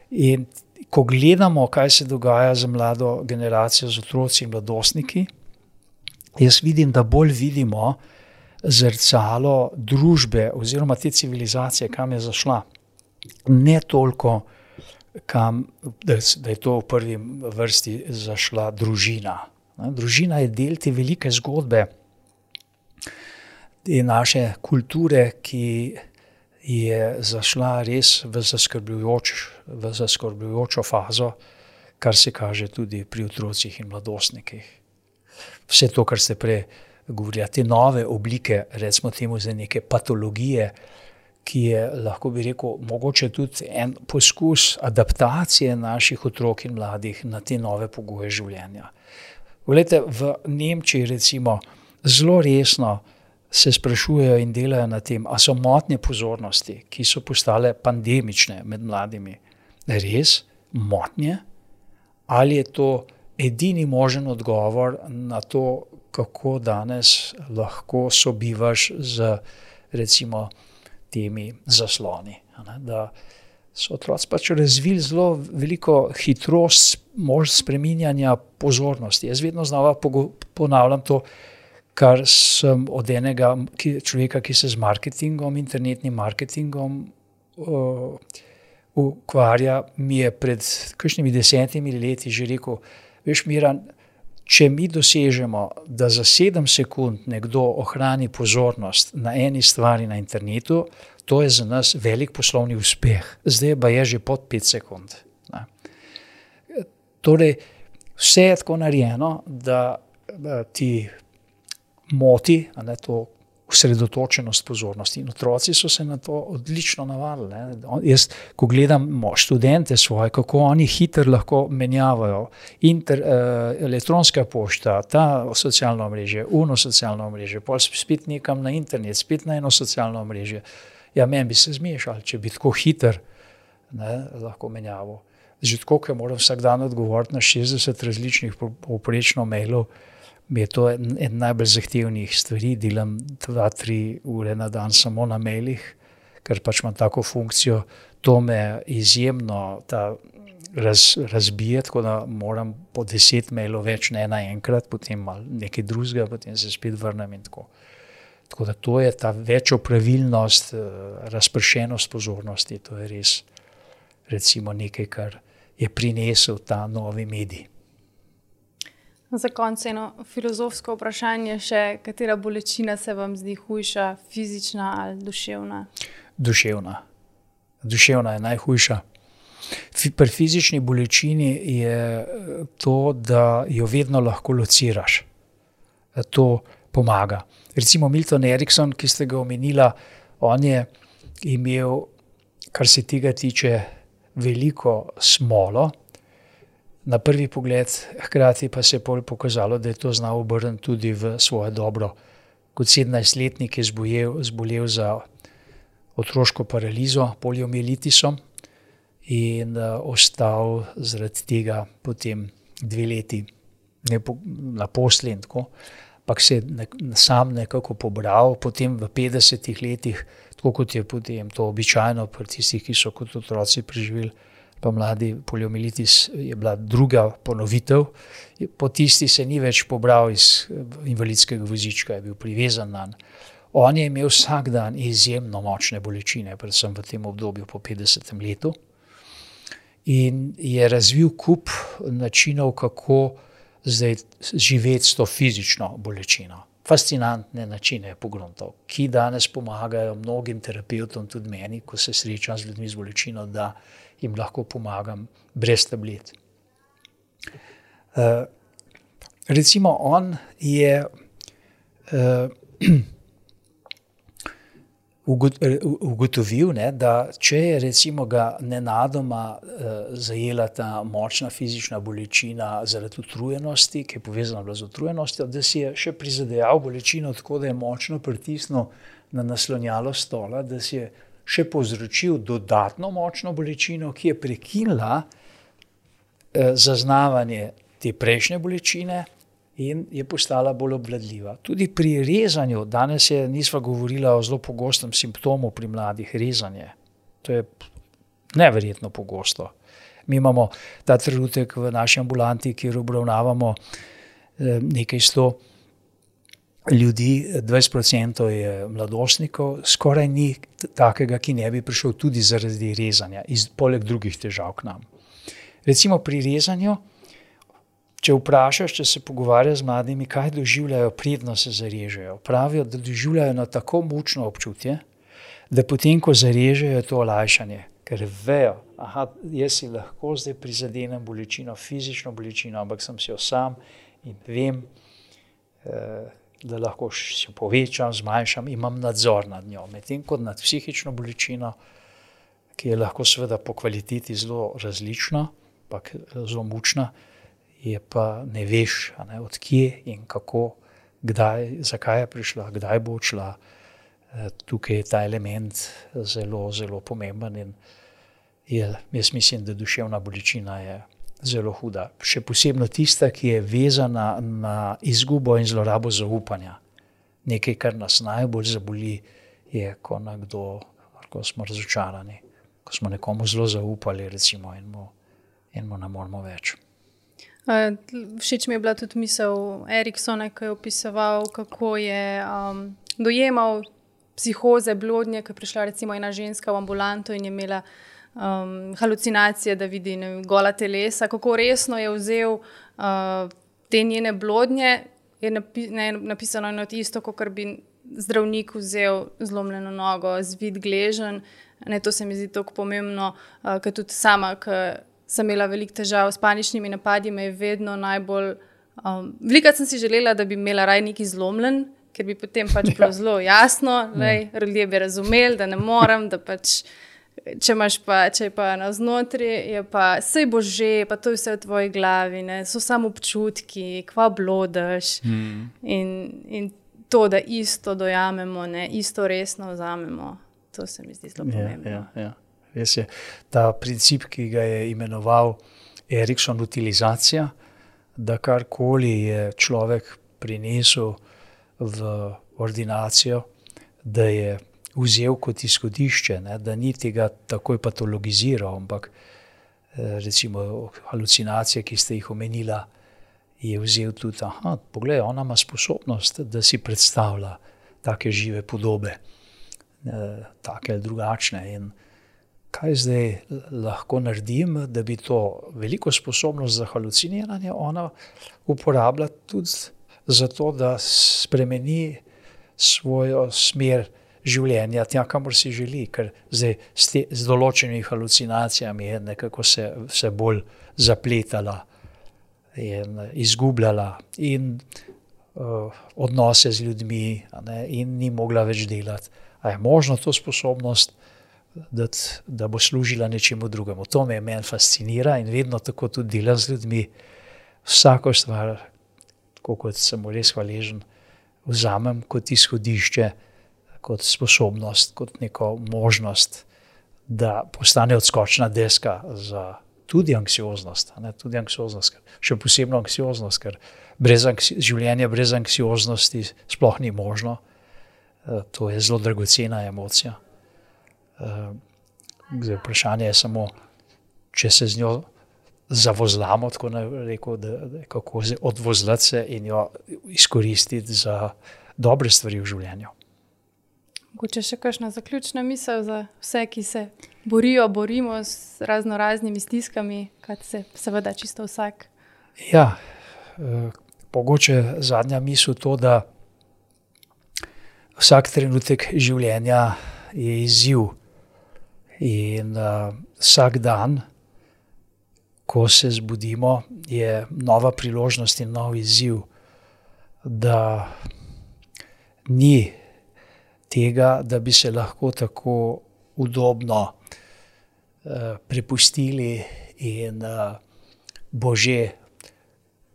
In ko gledamo, kaj se dogaja z mlado generacijo, z otroci in mladostniki, jaz vidim, da bolj vidimo zrcalo družbe oziroma te civilizacije, kam je zašla. Ne toliko, da je to v prvi vrsti zašla družina. Družina je del te velike zgodbe, te naše kulture, ki je zašla res v zaskrbljujočo fazo, kar se kaže tudi pri otrocih in mladostnikih. Vse to, kar ste prej govorili, te nove oblike, recimo temu za neke patologije, ki je, lahko bi rekel, mogoče tudi en poskus adaptacije naših otrok in mladih na te nove pogoje življenja. Poglejte, v Nemčiji recimo zelo resno se sprašujejo in delajo na tem, a so motnje pozornosti, ki so postale pandemične med mladimi, res motnje? Ali je to edini možen odgovor na to, kako danes lahko sobivaš z recimo temi zasloni. Da so otroci pač razvili zelo veliko hitrost spreminjanja pozornosti. Jaz vedno znova ponavljam to, kar sem od enega človeka, ki se z marketingom, internetnim marketingom ukvarja, mi je pred kakšnimi 10 leti že rekel, veš, Miran, če mi dosežemo, da za 7 sekund nekdo ohrani pozornost na eni stvari na internetu, to je za nas velik poslovni uspeh. Zdaj pa je že pod 5 sekund. Torej, vse je tako narejeno, da ti moti to osredotočenost pozornosti. In otroci so se na to odlično navadili. Jaz, ko gledam študente svoje, kako oni hitro lahko menjavajo elektronska pošta, ta socialno omrežje, socialno omrežje, pol spet nekam na internet, spet na eno socialno omrežje. Ja, meni bi se zmešali, če bi tako hitro lahko menjaval. Že tako, ker moram vsak dan odgovoriti na 60 različnih povprečno mailov, mi je to en najbolj zahtevnih stvari, delam 2-3 ure na dan samo na mailih, ker pač imam tako funkcijo, to me izjemno razbije, tako da moram po 10 mailov več ne naenkrat, potem malo nekaj drugega, potem se spet vrnem in tako. Tako da to je ta večjo pravilnost, razpršenost pozornosti, to je res recimo nekaj, kar je prinesel ta novi medij. Za konec eno filozofsko vprašanje še, katera bolečina se vam zdi hujša, fizična ali duševna? Duševna. Duševna je najhujša. Pri fizični bolečini je to, da jo vedno lahko lociraš. To pomaga. Recimo Milton Erickson, ki ste ga omenila, on je imel, kar se tega tiče, veliko smolo. Na prvi pogled, hkrati pa se je pol pokazalo, da je to znal obrniti tudi v svoje dobro. Kot 17-letnik je zbolel za otroško paralizo, poliomielitisom in ostal zaradi tega potem 2 leti naposlen in tako. Ampak se je sam nekako pobral, potem v 50 letih, tako kot je potem to običajno pri tistih, ki so kot otroci preživeli, pa mladi poliomielitis, je bila druga ponovitev. Po tisti se ni več pobral iz invalidskega vozička, je bil privezan nanj. On je imel vsak dan izjemno močne bolečine, predvsem v tem obdobju po 50. letu. In je razvil kup načinov, kako zdaj živeti s to fizično bolečino. Fascinantne načine je pogruntal, ki danes pomagajo mnogim terapevtom, tudi meni, ko se srečam z ljudmi z bolečino, da jim lahko pomagam brez tablet. Recimo on je ugotovil, da če je recimo ga nenadoma zajela ta močna fizična bolečina zaradi utrujenosti, ki je povezana bila z utrujenostjo, da si je še prizadejal bolečino tako, da je močno pritisnil na naslonjalo stola, da si je še povzročil dodatno močno bolečino, ki je prekinila zaznavanje te prejšnje bolečine in je postala bolj obvladljiva. Tudi pri rezanju, danes nisva govorila o zelo pogostem simptomu pri mladih, rezanje. To je neverjetno pogosto. Mi imamo ta trenutek v naši ambulanti, kjer obravnavamo nekaj 100 ljudi, 20% je mladostnikov, skoraj ni takega, ki ne bi prišel tudi zaradi rezanja, poleg drugih težav k nam. Recimo pri rezanju, če vprašaš, če se pogovarjaš z mladimi, kaj doživljajo, predno se zarežejo. Pravijo, da doživljajo na tako mučno občutje, da potem, ko zarežejo, je to olajšanje. Ker vejo, jaz si lahko zdaj prizadenem bolečino, fizično bolečino, ampak sem si jo sam in vem, da lahko si jo povečam, zmanjšam, imam nadzor nad njo. Medtem kot nad psihično bolečino, ki je lahko seveda po kvaliteti zelo različna, ampak zelo mučna, je pa ne veš, od kje in kako, kdaj, zakaj je prišla, kdaj bo odšla. Tukaj je ta element zelo, zelo pomemben in jaz mislim, da duševna bolečina je zelo huda. Še posebno tista, ki je vezana na izgubo in zlorabo zaupanja. Nekaj, kar nas najbolj zaboli, je, ko smo razočarani, ko smo nekomu zelo zaupali, recimo, in mu ne moremo več. Všeč mi je bila tudi misel Eriksona, ki je opisoval, kako je dojemal psihoze, blodnje, ko je prišla recimo ena ženska v ambulanto in je imela halucinacije, da vidi gola telesa, kako resno je vzel te njene blodnje, je napisano eno isto, kot bi zdravnik vzel zlomljeno nogo, zvit gleženj. To se mi zdi tako pomembno, ker tudi sama, sem imela veliko težav s paničnimi napadi, me je vedno najbolj... Velikokrat sem si želela, da bi imela raj neki zlomljen, ker bi potem pač bilo zelo jasno, ljudje bi razumeli, da ne morem, da pač, če je pa navznotri, je pa sej bo že, pa to je vse v tvoji glavi, so samo občutki, kva blodeš. In to, da isto dojamemo, isto resno vzamemo, to se mi zdi zelo pomembno. Ja. Res je, ta princip, ki ga je imenoval Erikson utilizacija, da karkoli je človek prinesel v ordinacijo, da je vzel kot izhodišče, da ni tega takoj patologiziral, ampak recimo halucinacije, ki ste jih omenila, je vzel tudi, poglej, ona ima sposobnost, da si predstavlja take žive podobe, take ali drugačne in kaj zdaj lahko naredim, da bi to veliko sposobnost za haluciniranje ona uporabila tudi zato, da spremeni svojo smer življenja tja, kamor si želi, ker zdaj z določenimi halucinacijami je nekako se vse bolj zapletala in izgubljala in odnose z ljudmi, in ni mogla več delati. A je možno to sposobnost, da bo služila nečemu drugemu? To meni fascinira in vedno tako tudi delam z ljudmi. Vsako stvar, tako kot sem mu res hvaležen, vzamem kot izhodišče, kot sposobnost, kot neko možnost, da postane odskočna deska za tudi anksioznost. Tudi anksioznost, še posebno anksioznost, ker življenje brez anksioznosti sploh ni možno. To je zelo dragocena emocija. Vprašanje je samo, če se z njo zavozlamo, tako rekel, kako odvozlati se in jo izkoristiti za dobre stvari v življenju. Mogoče še kakšna zaključna misel za vse, ki se borimo s raznoraznimi stiskami, kaj se seveda čisto vsak. Ja, mogoče zadnja misel to, da vsak trenutek življenja je izziv in vsak dan, ko se zbudimo, je nova priložnost in nov izziv, da ni tega, da bi se lahko tako udobno prepustili in bo že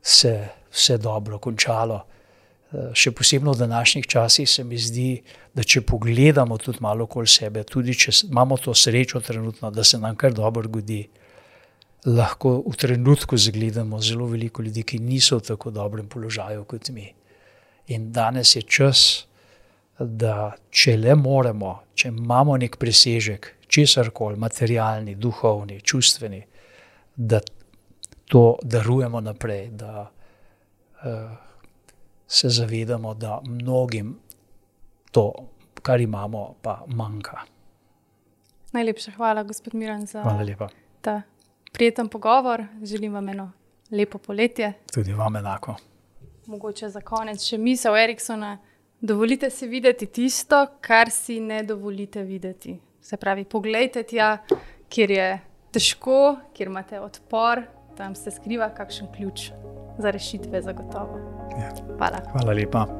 se vse dobro končalo. Še posebno v današnjih časih se mi zdi, da če pogledamo tudi malo okoli sebe, tudi če imamo to srečo trenutno, da se nam kar dobro godi, lahko v trenutku zagledamo zelo veliko ljudi, ki niso v tako dobrem položaju kot mi. In danes je čas, da če le moremo, če imamo nek presežek, česarkoli, materialni, duhovni, čustveni, da to darujemo naprej, da se zavedamo, da mnogim to, kar imamo, pa manjka. Najlepša hvala, gospod Miran, za Hvala lepa. Ta prijeten pogovor. Želim vam eno lepo poletje. Tudi vam enako. Mogoče za konec še misel Eriksona. Dovolite si videti tisto, kar si ne dovolite videti. Se pravi, poglejte tja, kjer je težko, kjer imate odpor, tam se skriva kakšen ključ za rešitve zagotovo. Ja. Hvala. Hvala lepa.